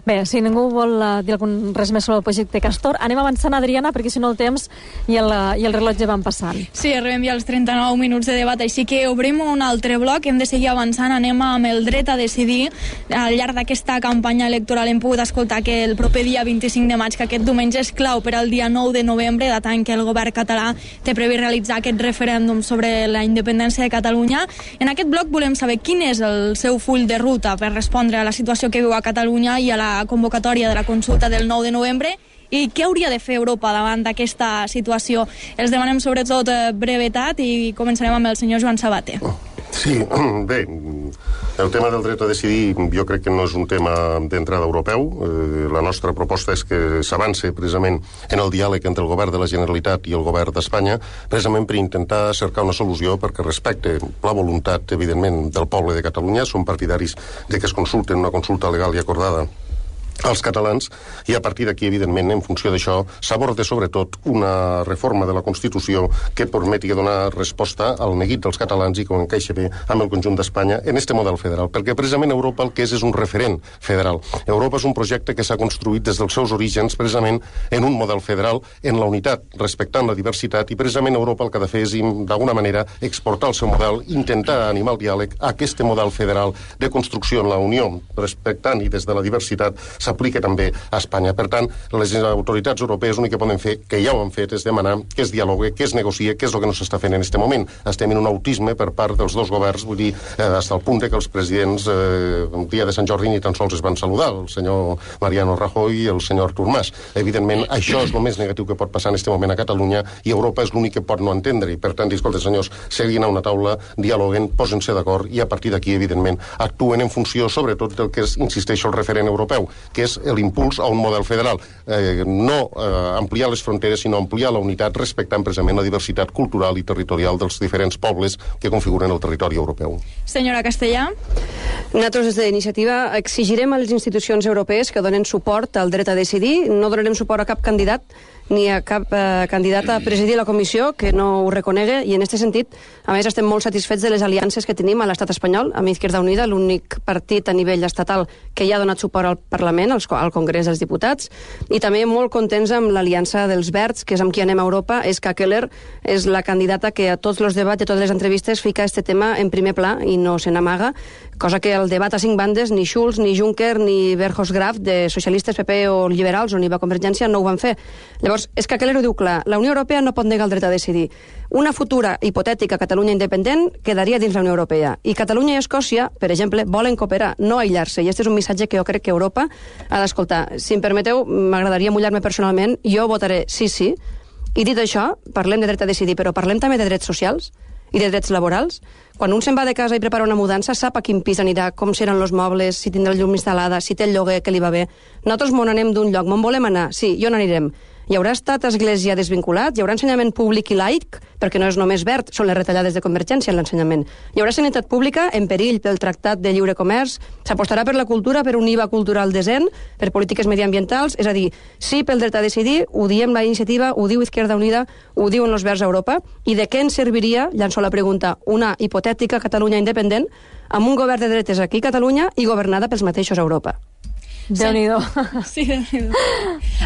Bé, si ningú vol uh, dir algun, res més sobre el projecte Castor, anem avançant, Adriana, perquè si no el temps i el, uh, i el rellotge van passant. Sí, arribem ja als trenta-nou minuts de debat, així que obrim un altre bloc, hem de seguir avançant, anem amb el dret a decidir. Al llarg d'aquesta campanya electoral hem pogut escoltar que el proper dia vint-i-cinc de maig, que aquest diumenge és clau per al dia nou de novembre, data en què el govern català té previst realitzar aquest referèndum sobre la independència de Catalunya. En aquest bloc volem saber quin és el seu full de ruta per respondre a la situació que viu a Catalunya i a la convocatòria de la consulta del nou de novembre i què hauria de fer Europa davant d'aquesta situació. Els demanem sobretot brevetat i començarem amb el senyor Joan Sabater. Sí, bé, el tema del dret a decidir jo crec que no és un tema d'entrada europeu. Eh, la nostra proposta és que s'avance precisament en el diàleg entre el govern de la Generalitat i el govern d'Espanya, precisament per intentar cercar una solució perquè respecte la voluntat, evidentment, del poble de Catalunya. Som partidaris de que es consulten una consulta legal i acordada als catalans, i a partir d'aquí, evidentment, en funció d'això, s'aborda sobretot una reforma de la Constitució que permeti donar resposta al neguit dels catalans i que encaixa bé amb el conjunt d'Espanya en este model federal, perquè precisament Europa el que és és un referent federal. Europa és un projecte que s'ha construït des dels seus orígens precisament en un model federal, en la unitat, respectant la diversitat, i precisament Europa el que ha de fer és, d'alguna manera, exportar el seu model, intentar animar el diàleg a aquest model federal de construcció en la Unió, respectant i des de la diversitat s'aplica també a Espanya. Per tant, les autoritats europees l'únic que poden fer, que ja ho han fet, és demanar que es dialogue, que es negocie, que és el que no s'està fent en aquest moment. Estem en un autisme per part dels dos governs, vull dir, eh, fins al punt que els presidents eh, el dia de Sant Jordi ni tan sols es van saludar, el senyor Mariano Rajoy i el senyor Artur Mas. Evidentment, això és el més negatiu que pot passar en aquest moment a Catalunya i Europa és l'únic que pot no entendre. I per tant, escolta, senyors, seguin a una taula, dialoguen, posen-se d'acord i a partir d'aquí, evidentment, actuen en funció, sobretot, del que és, insisteixo, el referent europeu, que és l'impuls a un model federal. Eh, no eh, ampliar les fronteres, sinó ampliar la unitat respectant precisament la diversitat cultural i territorial dels diferents pobles que configuren el territori europeu. Senyora Castellà. Nosaltres des d'iniciativa exigirem a les institucions europees que donen suport al dret a decidir. No donarem suport a cap candidat ni a cap eh, candidat a presidir la comissió que no ho reconegui, i en aquest sentit, a més, estem molt satisfets de les aliances que tenim a l'estat espanyol, amb Izquierda Unida, l'únic partit a nivell estatal que ja ha donat suport al Parlament, al, al Congrés dels Diputats, i també molt contents amb l'aliança dels Verds, que és amb qui anem a Europa. És que Keller és la candidata que a tots els debats i a totes les entrevistes fica este tema en primer pla i no se n'amaga, cosa que el debat a cinc bandes, ni Schulz, ni Juncker, ni Verhofstadt, de socialistes, P P o liberals, on hi va Convergència, no ho van fer. Llavors, és que Keller ho diu clar, la Unió Europea no pot negar el dret a decidir. Una futura hipotètica Catalunya independent quedaria dins la Unió Europea. I Catalunya i Escòcia, per exemple, volen cooperar, no aïllar-se. I aquest és un missatge que jo crec que Europa ha d'escoltar. Si em permeteu, m'agradaria mullar-me personalment, jo votaré sí, sí. I dit això, parlem de dret a decidir, però parlem també de drets socials i de drets laborals. Quan un se'n va de casa i prepara una mudança, sap a quin pis anirà, com seran els mobles, si tindrà el llum instal·lada, si té el lloguer que li va bé. Nosaltres m'on anem d'un lloc, m'on volem anar? Sí, jo n'anirem. Hi haurà estat església desvinculat, hi haurà ensenyament públic i laic, perquè no és només verd, són les retallades de Convergència en l'ensenyament. Hi haurà sanitat pública en perill pel Tractat de Lliure Comerç, s'apostarà per la cultura, per un I V A cultural decent, per polítiques mediambientals, és a dir, sí pel dret a decidir, ho diem la iniciativa, ho diu Izquierda Unida, ho diuen els Verds a Europa, i de què ens serviria, llanço la pregunta, una hipotètica Catalunya independent amb un govern de dretes aquí a Catalunya i governada pels mateixos a Europa? Déu-n'hi-do. Sí, Déu-n'hi-do.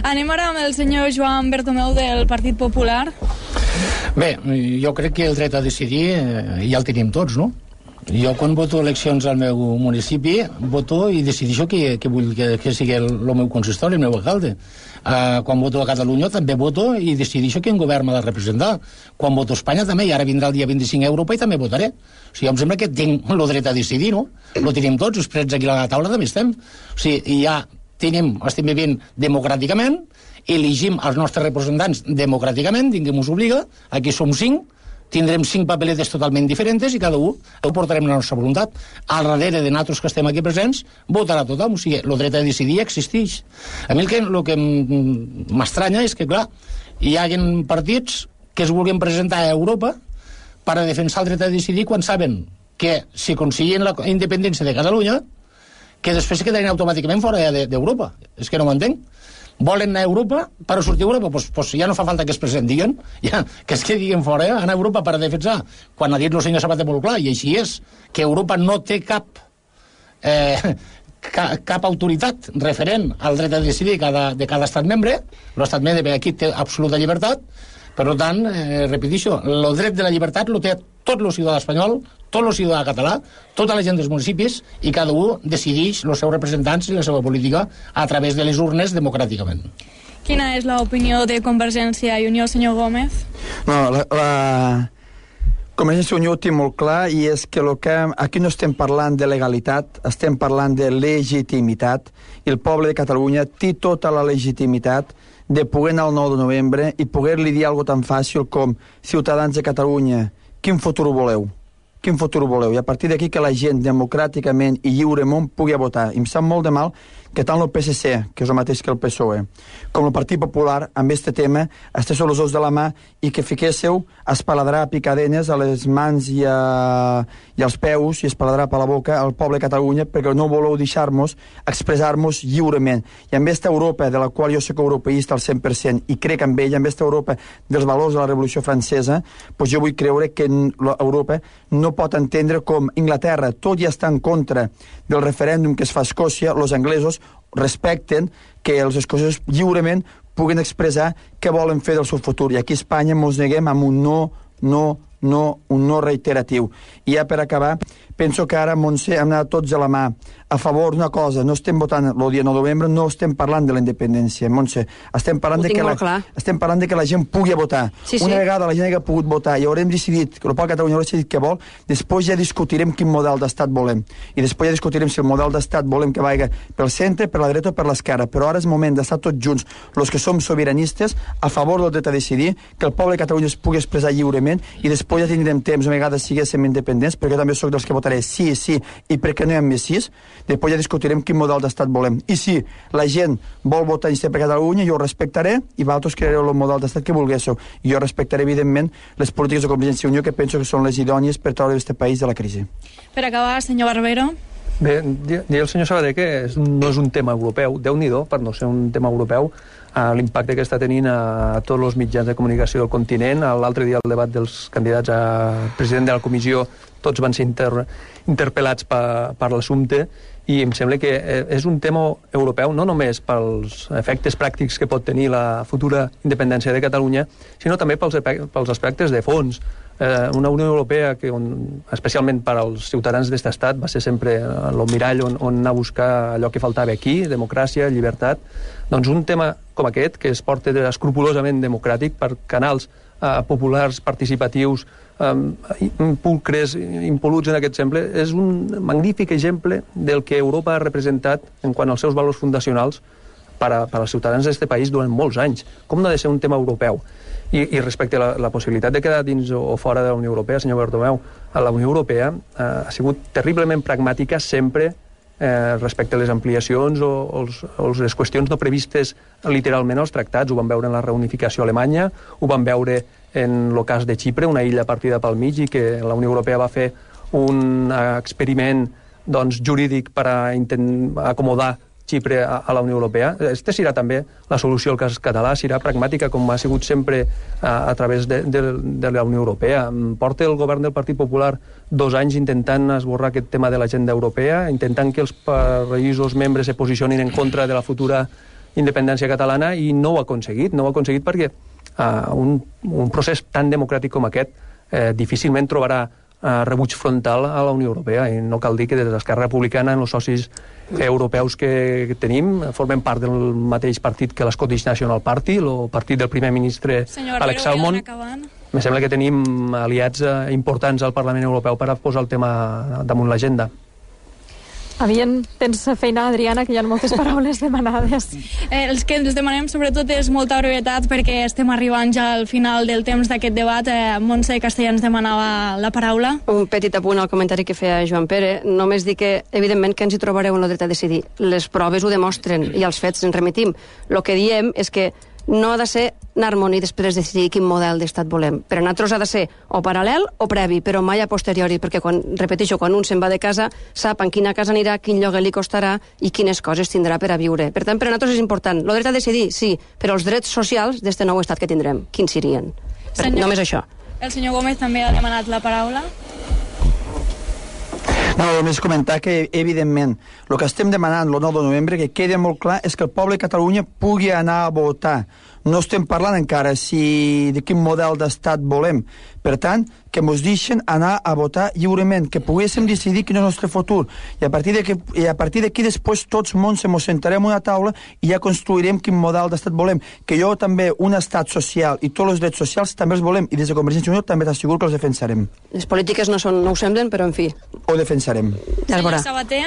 Anem ara amb el senyor Joan Bertomeu del Partit Popular. Bé, jo crec que el dret a decidir eh, ja el tenim tots, no? Jo, quan voto eleccions al meu municipi, voto i decideixo que, que vull que, que sigui el, el meu consistori, el meu alcalde. Uh, quan voto a Catalunya també voto i decideixo quin govern m'ha de representar. Quan voto a Espanya també, i ara vindrà el dia vint-i-cinc a Europa i també votaré. O sigui, em sembla que tinc el dret a decidir, no? Lo tenim tots, els prets aquí a la taula també estem. O sigui, ja tenim, estem vivint democràticament, elegim els nostres representants democràticament, ningú ens obliga, aquí som cinc, tindrem cinc papeletes totalment diferents i cada un ho portarem la nostra voluntat. Al darrere de nosaltres que estem aquí presents, votarà tothom. O sigui, el dret a decidir existeix. A mi el que, el que m'estranya és que, clar, hi ha partits que es vulguin presentar a Europa per a defensar el dret a decidir quan saben que si aconseguien la independència de Catalunya, que després se quedaran automàticament fora d'Europa. És que no m'entenc. Volen anar a Europa per a sortir a Europa, doncs, doncs ja no fa falta que es presentin, ja, que es quedin fora, eh? Anar a Europa per a defensar, quan ha dit el senyor Sabater molt clar, i així és, que Europa no té cap eh, ca, cap autoritat referent al dret a decidir cada, de cada estat membre. L'estat membre aquí té absoluta llibertat, per tant, eh, repeteixo, el dret de la llibertat el té tot el ciutadà espanyol, tot el ciutadà català, tota la gent dels municipis, i cada un decideix els seus representants i la seva política a través de les urnes democràticament. Quina és l'opinió de Convergència i Unió, senyor Gómez? No, la, la... Convergència i Unió ho té molt clar, i és que, lo que aquí no estem parlant de legalitat, estem parlant de legitimitat, i el poble de Catalunya té tota la legitimitat de poder anar el nou de novembre i poder-li dir alguna tan fàcil com: ciutadans de Catalunya, quin futur voleu? Quin futur voleu? I a partir d'aquí que la gent democràticament i lliurement pugui votar. I em sap molt de mal que tant el P S C, que és el mateix que el P S O E, com el Partit Popular, amb aquest tema, estigueu els ous de la mà i que fiquéssiu espaladrar picadenes a les mans i, a, i als peus i espaladrar per la boca al poble de Catalunya, perquè no voleu deixar-nos expressar-nos lliurement. I amb aquesta Europa, de la qual jo soc europeista al cent per cent i crec en ella, amb aquesta Europa dels valors de la Revolució Francesa, doncs jo vull creure que Europa no pot entendre com Inglaterra, tot ja està en contra del referèndum que es fa a Escòcia, els anglesos respecten que els escocesos lliurement puguen expressar què volen fer del seu futur. I aquí a Espanya ens neguem amb un no, no, no, un no reiteratiu. I ja per acabar, penso que ara, Montse, hem anat tots a la mà a favor d'una cosa. No estem votant el dia nou de novembre, no estem parlant de la independència, Montse. Estem parlant, de que, la, estem parlant de que la gent pugui votar. Sí, Una sí. vegada la gent ha pogut votar i haurem decidit, que el poble de Catalunya haurà decidit què vol, després ja discutirem quin model d'estat volem. I després ja discutirem si el model d'estat volem que vagi pel centre, per la dreta o per l'esquerra. Però ara és moment d'estar tots junts, els que som sobiranistes, a favor del dret a decidir, que el poble de Catalunya es pugui expressar lliurement, i després ja tindrem temps, a vegades siguéssim independents, perquè jo també sóc dels que votaré sí, sí, i perquè no hi ha més sis. Després ja discutirem quin model d'estat volem. I si la gent vol votar i ser per Catalunya, jo ho respectaré, i vosaltres creareu el model d'estat que volguéssiu. I jo respectaré, evidentment, les polítiques de Convergència i Unió, que penso que són les idònies per treure aquest país de la crisi. Per acabar, senyor Barbero. Bé, dir el senyor Sabater que és, no és un tema europeu, Déu-n'hi-do, per no ser un tema europeu, a l'impacte que està tenint a tots els mitjans de comunicació del continent. L'altre dia el debat dels candidats a president de la comissió, tots van ser inter, interpel·lats per, per l'assumpte, i em sembla que és un tema europeu no només pels efectes pràctics que pot tenir la futura independència de Catalunya, sinó també pels, pels aspectes de fons. Eh, una Unió Europea que, on, especialment per als ciutadans d'aquest estat, va ser sempre el mirall on, on anar a buscar allò que faltava aquí, democràcia, llibertat. Doncs un tema com aquest, que es porta escrupulosament democràtic per canals eh, populars, participatius, eh, pulcres, impol·luts en aquest exemple, és un magnífic exemple del que Europa ha representat en quant als seus valors fundacionals per, a, per als ciutadans d'aquest país durant molts anys. Com no ha de ser un tema europeu? I, i respecte a la, la possibilitat de quedar dins o, o fora de la Unió Europea, senyor Bartomeu, la Unió Europea eh, ha sigut terriblement pragmàtica sempre eh, respecte a les ampliacions o, o, els, o les qüestions no previstes literalment als tractats. Ho vam veure en la reunificació alemanya, ho vam veure en el cas de Xipre, una illa partida pel mig, i que la Unió Europea va fer un experiment doncs, jurídic per a intentar acomodar Xipre a, a la Unió Europea. Este serà també la solució al cas català, serà pragmàtica com ha sigut sempre a, a través de, de, de la Unió Europea. Porta el govern del Partit Popular dos anys intentant esborrar aquest tema de l'agenda europea, intentant que els països membres se posicionin en contra de la futura independència catalana, i no ho ha aconseguit. No ho ha aconseguit perquè uh, un, un procés tan democràtic com aquest eh, difícilment trobarà uh, rebuig frontal a la Unió Europea, i no cal dir que des d'Esquerra Republicana, els socis europeus que tenim formen part del mateix partit que l'Scottish National Party, el partit del primer ministre Senyor Alex Salmond. Me sembla que tenim aliats uh, importants al Parlament Europeu per a posar el tema damunt l'agenda. Aviam, tens feina, Adriana, que hi ha moltes paraules demanades. Eh, els que ens demanem sobretot és molta brevetat perquè estem arribant ja al final del temps d'aquest debat. Eh, Montse Castellà ens demanava la paraula. Un petit apunt al comentari que feia Joan Pere. Només dir que, evidentment, que ens hi trobareu en el dret a decidir. Les proves ho demostren i als fets ens remitim. El que diem és que no ha de ser anar-me'n i després decidir quin model d'estat volem. Per a nosaltres ha de ser o paral·lel o previ, però mai a posteriori, perquè, quan, repeteixo, quan un se'n va de casa, sap en quina casa anirà, quin lloguer li costarà i quines coses tindrà per a viure. Per tant, per a nosaltres és important. El dret a decidir, sí, però els drets socials d'este nou estat que tindrem, quins serien? Senyor, només això. El senyor Gómez també ha demanat la paraula. No, només comentar que, evidentment, el que estem demanant el nou de novembre, que quedi molt clar, és que el poble de Catalunya pugui anar a votar. No estem parlant encara si de quin model d'estat volem. Per tant, que ens deixen anar a votar lliurement, que poguéssim decidir quin és el nostre futur. I a partir d'aquí, i a partir d'aquí després tots mons ens sentarem a una taula i ja construirem quin model d'estat volem. Que jo també, un estat social i tots els drets socials també els volem, i des de Convergència i Unió també t'asseguro que els defensarem. Les polítiques no, són, no ho semblen, però en fi. Ho defensarem. Ja Senyor Sabater?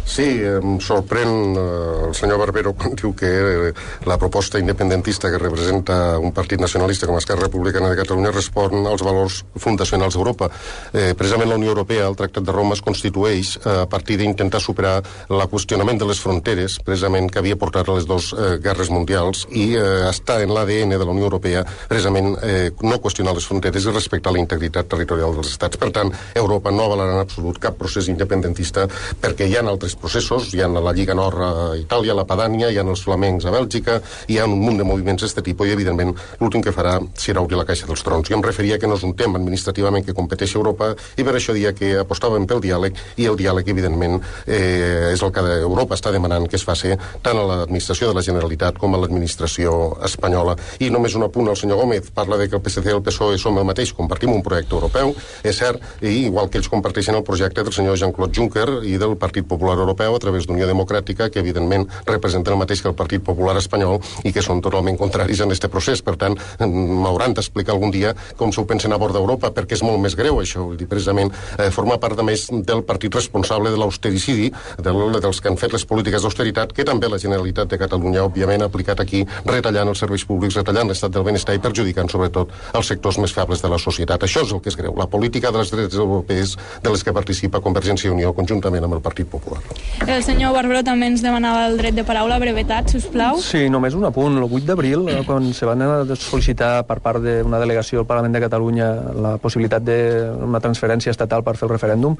Sí, em sorprèn eh, el senyor Barbero quan diu que eh, la proposta independentista que representa un partit nacionalista com Esquerra Republicana de Catalunya respon als valors fundacionals d'Europa. Eh, precisament la Unió Europea, el Tractat de Roma, es constitueix eh, a partir d'intentar superar el qüestionament de les fronteres, precisament que havia portat a les dues eh, guerres mundials, i eh, està en l'A D N de la Unió Europea precisament eh, no qüestionar les fronteres i respectar la integritat territorial dels estats. Per tant, Europa no avalarà en absolut cap procés independentista, perquè hi ha altres processos, hi ha la Lliga Nord a Itàlia, la Padània, hi ha els flamencs a Bèlgica, hi ha un munt de moviments d'aquest tipus i, evidentment, l'últim que farà serà obrir la caixa dels trons. Jo em referia que no és un tema administrativament que competeix a Europa i per això dia que apostàvem pel diàleg, i el diàleg, evidentment, eh, és el que Europa està demanant que es faci tant a l'administració de la Generalitat com a l'administració espanyola. I només un apunt al senyor Gómez, parla de que el P S C i el P S O E som el mateix, compartim un projecte europeu, és cert, i igual que ells comparteixen el projecte del senyor Jean-Claude Juncker i del Partit Popular Europeu a través d'Unió Democràtica, que evidentment representen el mateix que el Partit Popular espanyol i que són totalment contraris en aquest procés. Per tant, m'hauran d'explicar algun dia com s'ho pensen a bord d'Europa, perquè és molt més greu això. Vull dir, precisament, eh, formar part, a més, del partit responsable de l'austericidi, del, dels que han fet les polítiques d'austeritat, que també la Generalitat de Catalunya, òbviament, ha aplicat aquí, retallant els serveis públics, retallant l'estat del benestar i perjudicant, sobretot, els sectors més febles de la societat. Això és el que és greu. La política dels drets europeus de les que participa Convergència i Unió conjuntament amb el Partit Popular. El senyor Barberó també ens demanava el dret de paraula, brevetat, sisplau. Sí, només un apunt. El vuit d'abril, quan se van sol·licitar per part d'una delegació del Parlament de Catalunya la possibilitat d'una transferència estatal per fer el referèndum,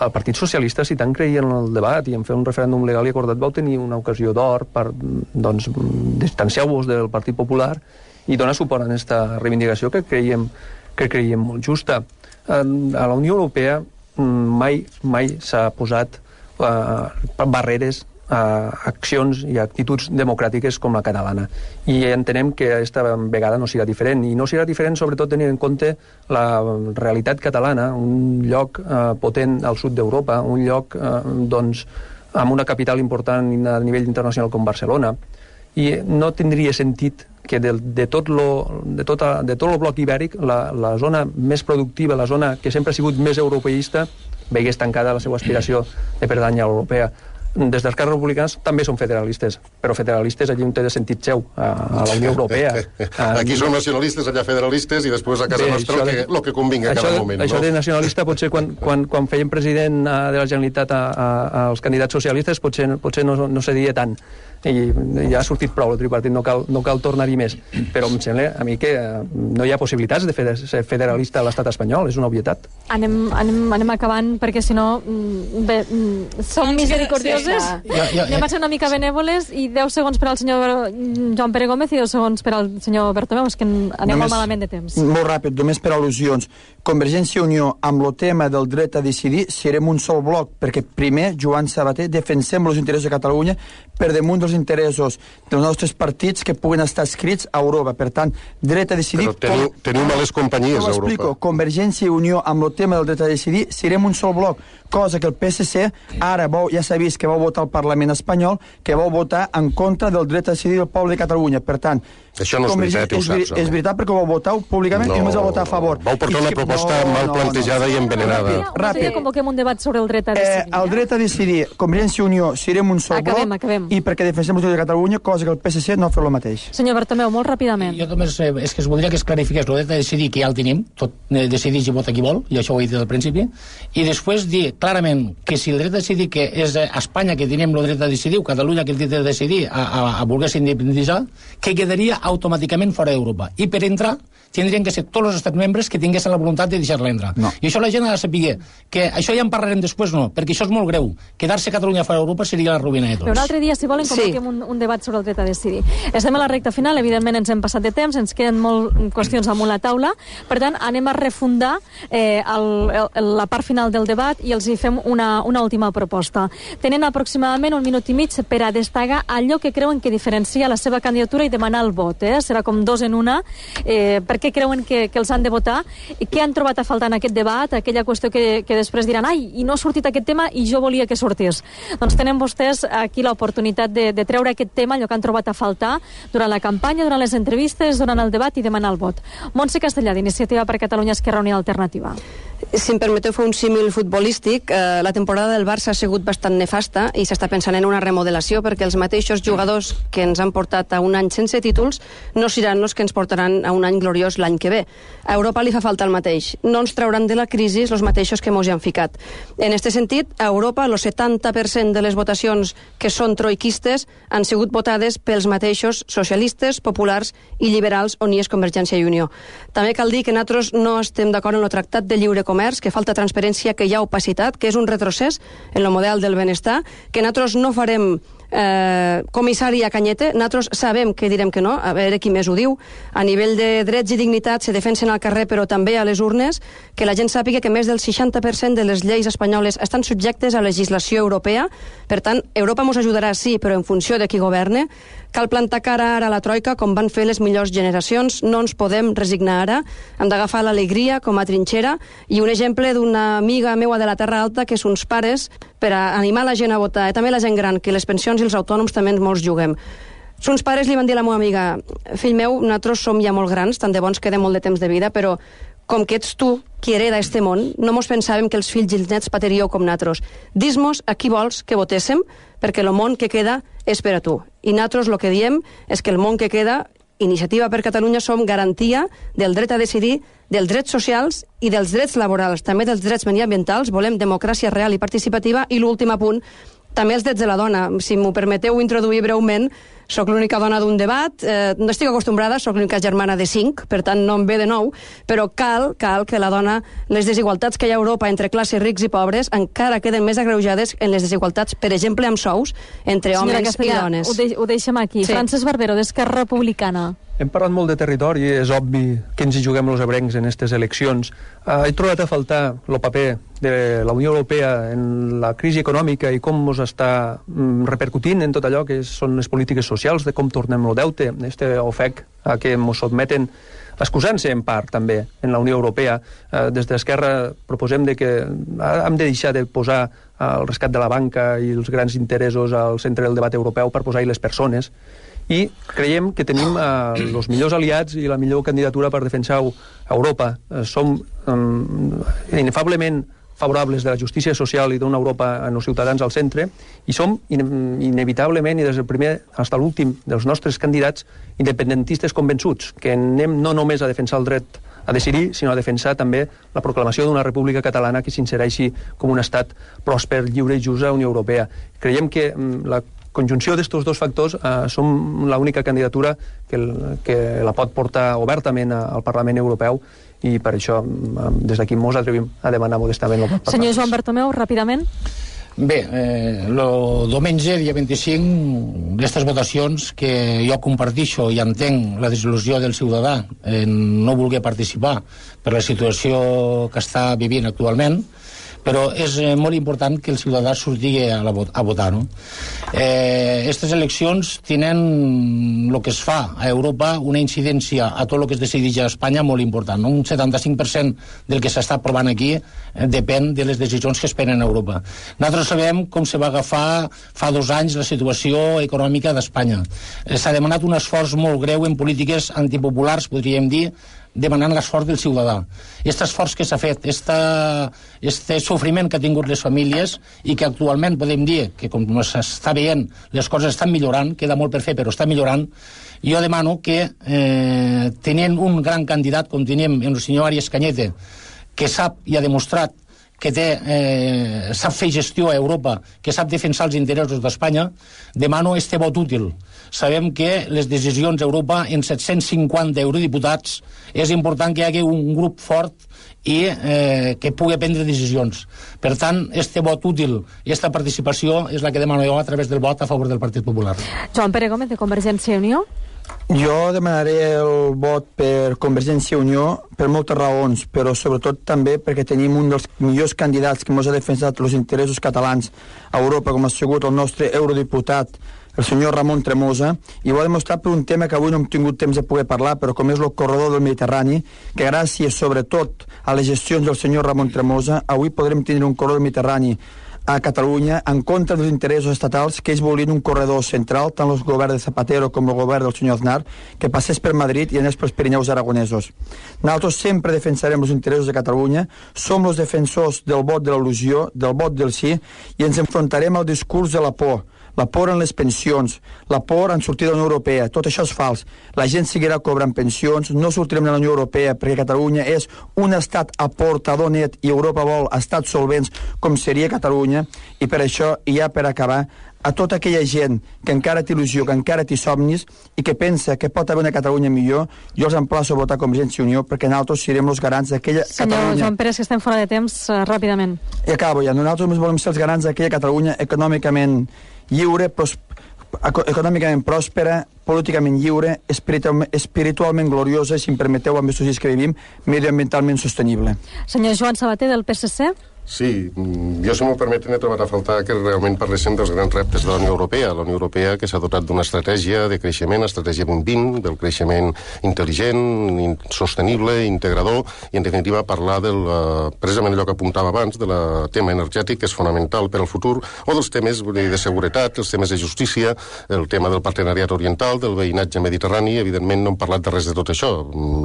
el Partit Socialista, si tant creia en el debat i en fer un referèndum legal i acordat, vau tenir una ocasió d'or per, doncs, distanciar-vos del Partit Popular i donar suport a aquesta reivindicació que creiem, que creiem molt justa. A la Unió Europea mai, mai s'ha posat Uh, barreres a uh, accions i actituds democràtiques com la catalana. I entenem que aquesta vegada no serà diferent. I no serà diferent sobretot tenint en compte la realitat catalana, un lloc uh, potent al sud d'Europa, un lloc uh, doncs, amb una capital important a nivell internacional com Barcelona. I no tindria sentit que de, de, tot lo, de, tota, de tot el bloc ibèric, la, la zona més productiva, la zona que sempre ha sigut més europeista, veigués tancada la seva aspiració de pertànyer a l'europea. Des d'Esquerra Republicana també són federalistes, però federalistes allí on té de sentit seu, a, a la Unió Europea. Aquí són nacionalistes, allà federalistes, i després a casa Bé, nostra el que, de, que convinga a cada de, moment. Això no? de nacionalista potser quan, quan, quan feien president de la Generalitat a, a, als candidats socialistes potser, potser no, no se diria tant. I ja ha sortit prou el tripartit, no cal, no cal tornar-hi més, però em sembla a mi que no hi ha possibilitats de fer, ser federalista a l'estat espanyol, és una obvietat. Anem, anem, anem acabant perquè si no bé, som misericordiosos coses. Ja, ja, Anem a ser una mica benèvoles i deu segons per al senyor Joan Pere Gómez i deu segons per al senyor Bertomeu, és que anem només, molt malament de temps. Molt ràpid, només per al·lusions. Convergència i Unió, amb el tema del dret a decidir, serem un sol bloc, perquè primer, Joan Sabater, defensem els interessos de Catalunya per damunt dels interessos dels nostres partits que puguen estar escrits a Europa. Per tant, dret a decidir... Però teniu, com... teniu males companyies a Europa. Explico. Convergència i Unió, amb el tema del dret a decidir, serem un sol bloc, cosa que el P S C ara vau, ja s'ha vist que vau votar al Parlament espanyol, que vau votar en contra del dret a decidir del poble de Catalunya. Per tant, això no és veritat, ho saps. És veritat perquè ho vau votar públicament no, i només vau votar a favor. Vau portar una proposta no, mal plantejada no, no. i envenenada. Ràpid. Ràpid. Convoquem un debat sobre el dret a decidir. Eh, el dret a decidir, Convergència i Unió, serem un sol acabem, bloc acabem. I perquè defensem el de Catalunya, cosa que el P S C no fa el mateix. Senyor Bertomeu, molt ràpidament. Jo només eh, és que es voldria que es clarifiqués el dret a decidir, que ja el tenim, tot eh, decideix i vota qui vol, i això ho he dit al principi, i després dir clarament que si el dret a decidir que és a Espanya que tenim el dret a decidir, o Catalunya que el dret a decidir a, a, a voler-se independitzar, que quedaria automàticament fora d'Europa. I per entrar tindrien que ser tots els estats membres que tinguessin la voluntat de deixar-la entrar. No. I això la gent ha de saber que això ja en parlarem després, no, perquè això és molt greu. Quedar-se Catalunya fora d'Europa seria la ruïna de tots. Però un altre dia, si volen, convoquem sí. un, un debat sobre el dret a decidir. Estem a la recta final, evidentment ens hem passat de temps, ens queden molt qüestions damunt la taula, per tant, anem a refundar eh, el, el, la part final del debat i els hi fem una, una última proposta. Tenen aproximadament un minut i mig per a destacar allò que creuen que diferencia la seva candidatura i demanar el vot. Eh? Serà com dos en una, eh, per què creuen que, que els han de votar, i què han trobat a faltar en aquest debat, aquella qüestió que, que després diran, ai, i no ha sortit aquest tema i jo volia que sortís. Doncs tenen vostès aquí l'oportunitat de, de treure aquest tema, allò que han trobat a faltar durant la campanya, durant les entrevistes, durant el debat i demanar el vot. Montse Castellà, d'Iniciativa per Catalunya Esquerra Unida Alternativa. Si em permeteu fer un símil futbolístic, eh, la temporada del Barça ha sigut bastant nefasta i s'està pensant en una remodelació perquè els mateixos jugadors que ens han portat a un any sense títols no seran els que ens portaran a un any gloriós l'any que ve. A Europa li fa falta el mateix. No ens trauran de la crisi els mateixos que mos hi han ficat. En aquest sentit, a Europa el setanta per cent de les votacions que són troiquistes han sigut votades pels mateixos socialistes, populars i liberals on hi és Convergència i Unió. També cal dir que nosaltres no estem d'acord en el Tractat de Lliure Comerç, que falta transparència, que hi ha opacitat, que és un retrocés en el model del benestar, que nosaltres no farem eh, comissari a Canyete, nosaltres sabem que direm que no, a veure qui més ho diu, a nivell de drets i dignitat se defensen al carrer però també a les urnes, que la gent sàpiga que més del seixanta per cent de les lleis espanyoles estan subjectes a legislació europea, per tant, Europa ens ajudarà sí, però en funció de qui governe. Cal plantar cara ara a la troika com van fer les millors generacions, no ens podem resignar ara, hem d'agafar l'alegria com a trinxera, i un exemple d'una amiga meua de la Terra Alta, que és uns pares, per a animar la gent a votar, i també la gent gran, que les pensions i els autònoms també molts juguem. Uns pares li van dir a la meva amiga, fill meu, nosaltres som ja molt grans, tant de bons queda molt de temps de vida, però com que ets tu qui hereda este món, no mos pensàvem que els fills i els nets patiríeu com nosaltres. Dis-mos a qui vols que votéssim, perquè el món que queda és per a tu. I nosaltres el que diem és que el món que queda, Iniciativa per Catalunya, som garantia del dret a decidir, dels drets socials i dels drets laborals, també dels drets mediambientals. Volem democràcia real i participativa. I l'últim apunt, també els drets de la dona. Si m'ho permeteu introduir breument, soc l'única dona d'un debat, eh, no estic acostumbrada, soc l'única germana de cinc, per tant no em ve de nou, però cal, cal que la dona, les desigualtats que hi ha a Europa entre classes rics i pobres encara queden més agreujades en les desigualtats, per exemple, amb sous, entre Senyora homes Castellà, i dones. Ho, de, ho deixem aquí. Sí. Francesc Barbero, d'Esquerra Republicana. Hem parlat molt de territori, és obvi que ens hi juguem els ebrencs en aquestes eleccions. Uh, he trobat a faltar el paper de la Unió Europea en la crisi econòmica i com ens està mm, repercutint en tot allò que són les polítiques socials, de com tornem el deute, este ofec a què ens sotmeten, excusant-se en part també en la Unió Europea. Uh, des d'Esquerra proposem de que hem de deixar de posar el rescat de la banca i els grans interessos al centre del debat europeu per posar-hi les persones, i creiem que tenim eh, els millors aliats i la millor candidatura per defensar Europa. Eh, som eh, inefablement favorables de la justícia social i d'una Europa amb els ciutadans al centre, i som in inevitablement, i des del primer fins a l'últim dels nostres candidats, independentistes convençuts, que anem no només a defensar el dret a decidir, sinó a defensar també la proclamació d'una república catalana que s'insereixi com un estat pròsper, lliure i just a la Unió Europea. Creiem que mm, la conjunció d'estos dos factors eh, som l'única candidatura que, el, que la pot portar obertament a, al Parlament Europeu, i per això eh, des d'aquí mos atrevim a demanar modestament el vot. Senyor Joan Bertomeu, ràpidament. Bé, el eh, diumenge, dia vint-i-cinc, d'aquestes votacions que jo compartixo i entenc la desil·lusió del ciutadà en no voler participar per la situació que està vivint actualment, però és eh, molt important que el ciutadà surti a, la, a votar. No? Eh, aquestes eleccions tenen el que es fa a Europa una incidència a tot el que es decideix a Espanya molt important. No? Un setanta-cinc per cent del que s'està aprovant aquí eh, depèn de les decisions que es prenen a Europa. Nosaltres sabem com se va agafar fa dos anys la situació econòmica d'Espanya. Eh, S'ha demanat un esforç molt greu en polítiques antipopulars, podríem dir, demanant l'esforç del ciutadà. Aquest esforç que s'ha fet, este sofriment que ha tingut les famílies i que actualment podem dir que com s'està veient les coses estan millorant, queda molt per fer però està millorant, jo demano que eh, tenint un gran candidat com tenim el senyor Arias Cañete, que sap i ha demostrat que té, eh, sap fer gestió a Europa, que sap defensar els interessos d'Espanya, demano este vot útil. Sabem que les decisions a Europa en set-cents cinquanta eurodiputats és important que hi hagi un grup fort i eh, que pugui prendre decisions. Per tant, este vot útil i aquesta participació és la que demano jo a través del vot a favor del Partit Popular. Joan Pere Gómez, de Convergència i Unió. Jo demanaré el vot per Convergència i Unió per moltes raons, però sobretot també perquè tenim un dels millors candidats que ens ha defensat els interessos catalans a Europa, com ha sigut el nostre eurodiputat, el senyor Ramon Tremosa, i ho ha demostrat per un tema que avui no hem tingut temps de poder parlar, però com és el corredor del Mediterrani, que gràcies sobretot a les gestions del senyor Ramon Tremosa, avui podrem tenir un corredor del Mediterrani a Catalunya en contra dels interessos estatals, que ells volien un corredor central, tant el govern de Zapatero com el govern del senyor Aznar, que passés per Madrid i anés pels Pirineus aragonesos. Nosaltres sempre defensarem els interessos de Catalunya, som els defensors del vot de l'il·lusió, del vot del sí, i ens enfrontarem al discurs de la por, la por en les pensions, la por en sortir de la Unió Europea. Tot això és fals. La gent seguirà cobrant pensions, no sortirem de la Unió Europea perquè Catalunya és un estat aportador net i Europa vol estats solvents com seria Catalunya, i per això, i ja per acabar, a tota aquella gent que encara té il·lusió, que encara té somnis i que pensa que pot haver una Catalunya millor, jo els emplaço a votar Convergència i Unió perquè nosaltres serem els garants d'aquella Senyor Catalunya... Joan Pérez, que estem fora de temps, uh, ràpidament. I acabo ja. Nosaltres només volem ser els garants d'aquella Catalunya econòmicament lliure, pros... econòmicament pròspera, políticament lliure, espiritualment, espiritualment gloriosa, si em permeteu, amb els socials que vivim, mediambientalment sostenible. Senyor Joan Sabater, del P S C. Sí, jo, si m'ho permeten, he trobat a faltar que realment parléssim dels grans reptes de la Unió Europea. La Unió Europea que s'ha dotat d'una estratègia de creixement, estratègia vint vint, del creixement intel·ligent, sostenible, integrador, i en definitiva parlar del, precisament allò que apuntava abans, del tema energètic, que és fonamental per al futur, o dels temes de seguretat, els temes de justícia, el tema del partenariat oriental, del veïnatge mediterrani. Evidentment no hem parlat de res de tot això.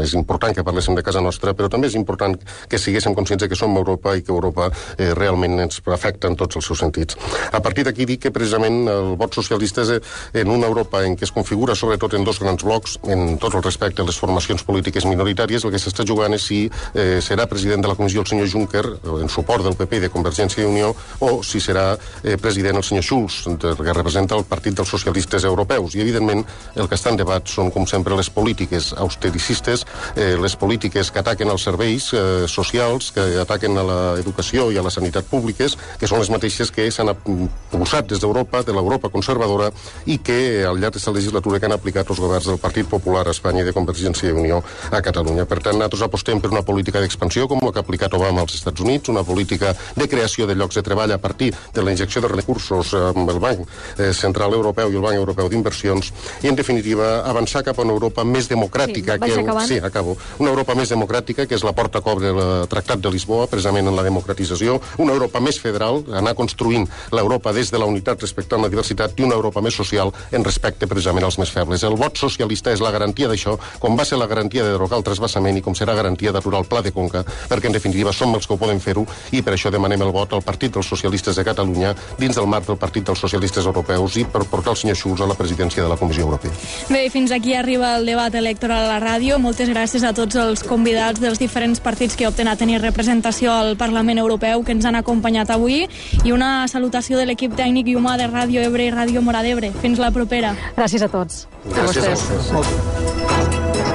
És important que parléssim de casa nostra, però també és important que siguéssim conscients que som Europa i que Europa Eh, realment ens afecta en tots els seus sentits. A partir d'aquí dic que precisament el vot socialista és en una Europa en què es configura sobretot en dos grans blocs, en tot el respecte a les formacions polítiques minoritàries. El que s'està jugant és si eh, serà president de la Comissió el senyor Juncker, en suport del P P i de Convergència i Unió, o si serà eh, president el senyor Schulz, que representa el Partit dels Socialistes Europeus. I evidentment el que està en debat són, com sempre, les polítiques austericistes, eh, les polítiques que ataquen els serveis eh, socials, que ataquen a l'educació i a la sanitat públiques, que són les mateixes que s'han impulsat des d'Europa, de l'Europa conservadora, i que al llarg d'aquesta legislatura que han aplicat els governs del Partit Popular a Espanya i de Convergència i Unió a Catalunya. Per tant, nosaltres apostem per una política d'expansió com la que ha aplicat Obama als Estats Units, una política de creació de llocs de treball a partir de la injecció de recursos amb el Banc Central Europeu i el Banc Europeu d'Inversions, i en definitiva avançar cap a una Europa més democràtica. Sí, que, sí, acabo. Una Europa més democràtica, que és la porta que obre el Tractat de Lisboa, precisament en la democratització, una Europa més federal, anar construint l'Europa des de la unitat respectant la diversitat, i una Europa més social en respecte precisament als més febles. El vot socialista és la garantia d'això, com va ser la garantia de derogar el trasbassament i com serà garantia d'aturar el Pla de Conca, perquè en definitiva som els que ho podem fer-ho, i per això demanem el vot al Partit dels Socialistes de Catalunya dins del marc del Partit dels Socialistes Europeus i per portar el senyor Schulz a la presidència de la Comissió Europea. Bé, fins aquí arriba el debat electoral a la ràdio. Moltes gràcies a tots els convidats dels diferents partits que opten a tenir representació al Parlament Europeu que ens han acompanyat avui, i una salutació de l'equip tècnic i humà de Ràdio Ebre i Ràdio Mora d'Ebre. Fins la propera. Gràcies a tots. Gràcies a vostès.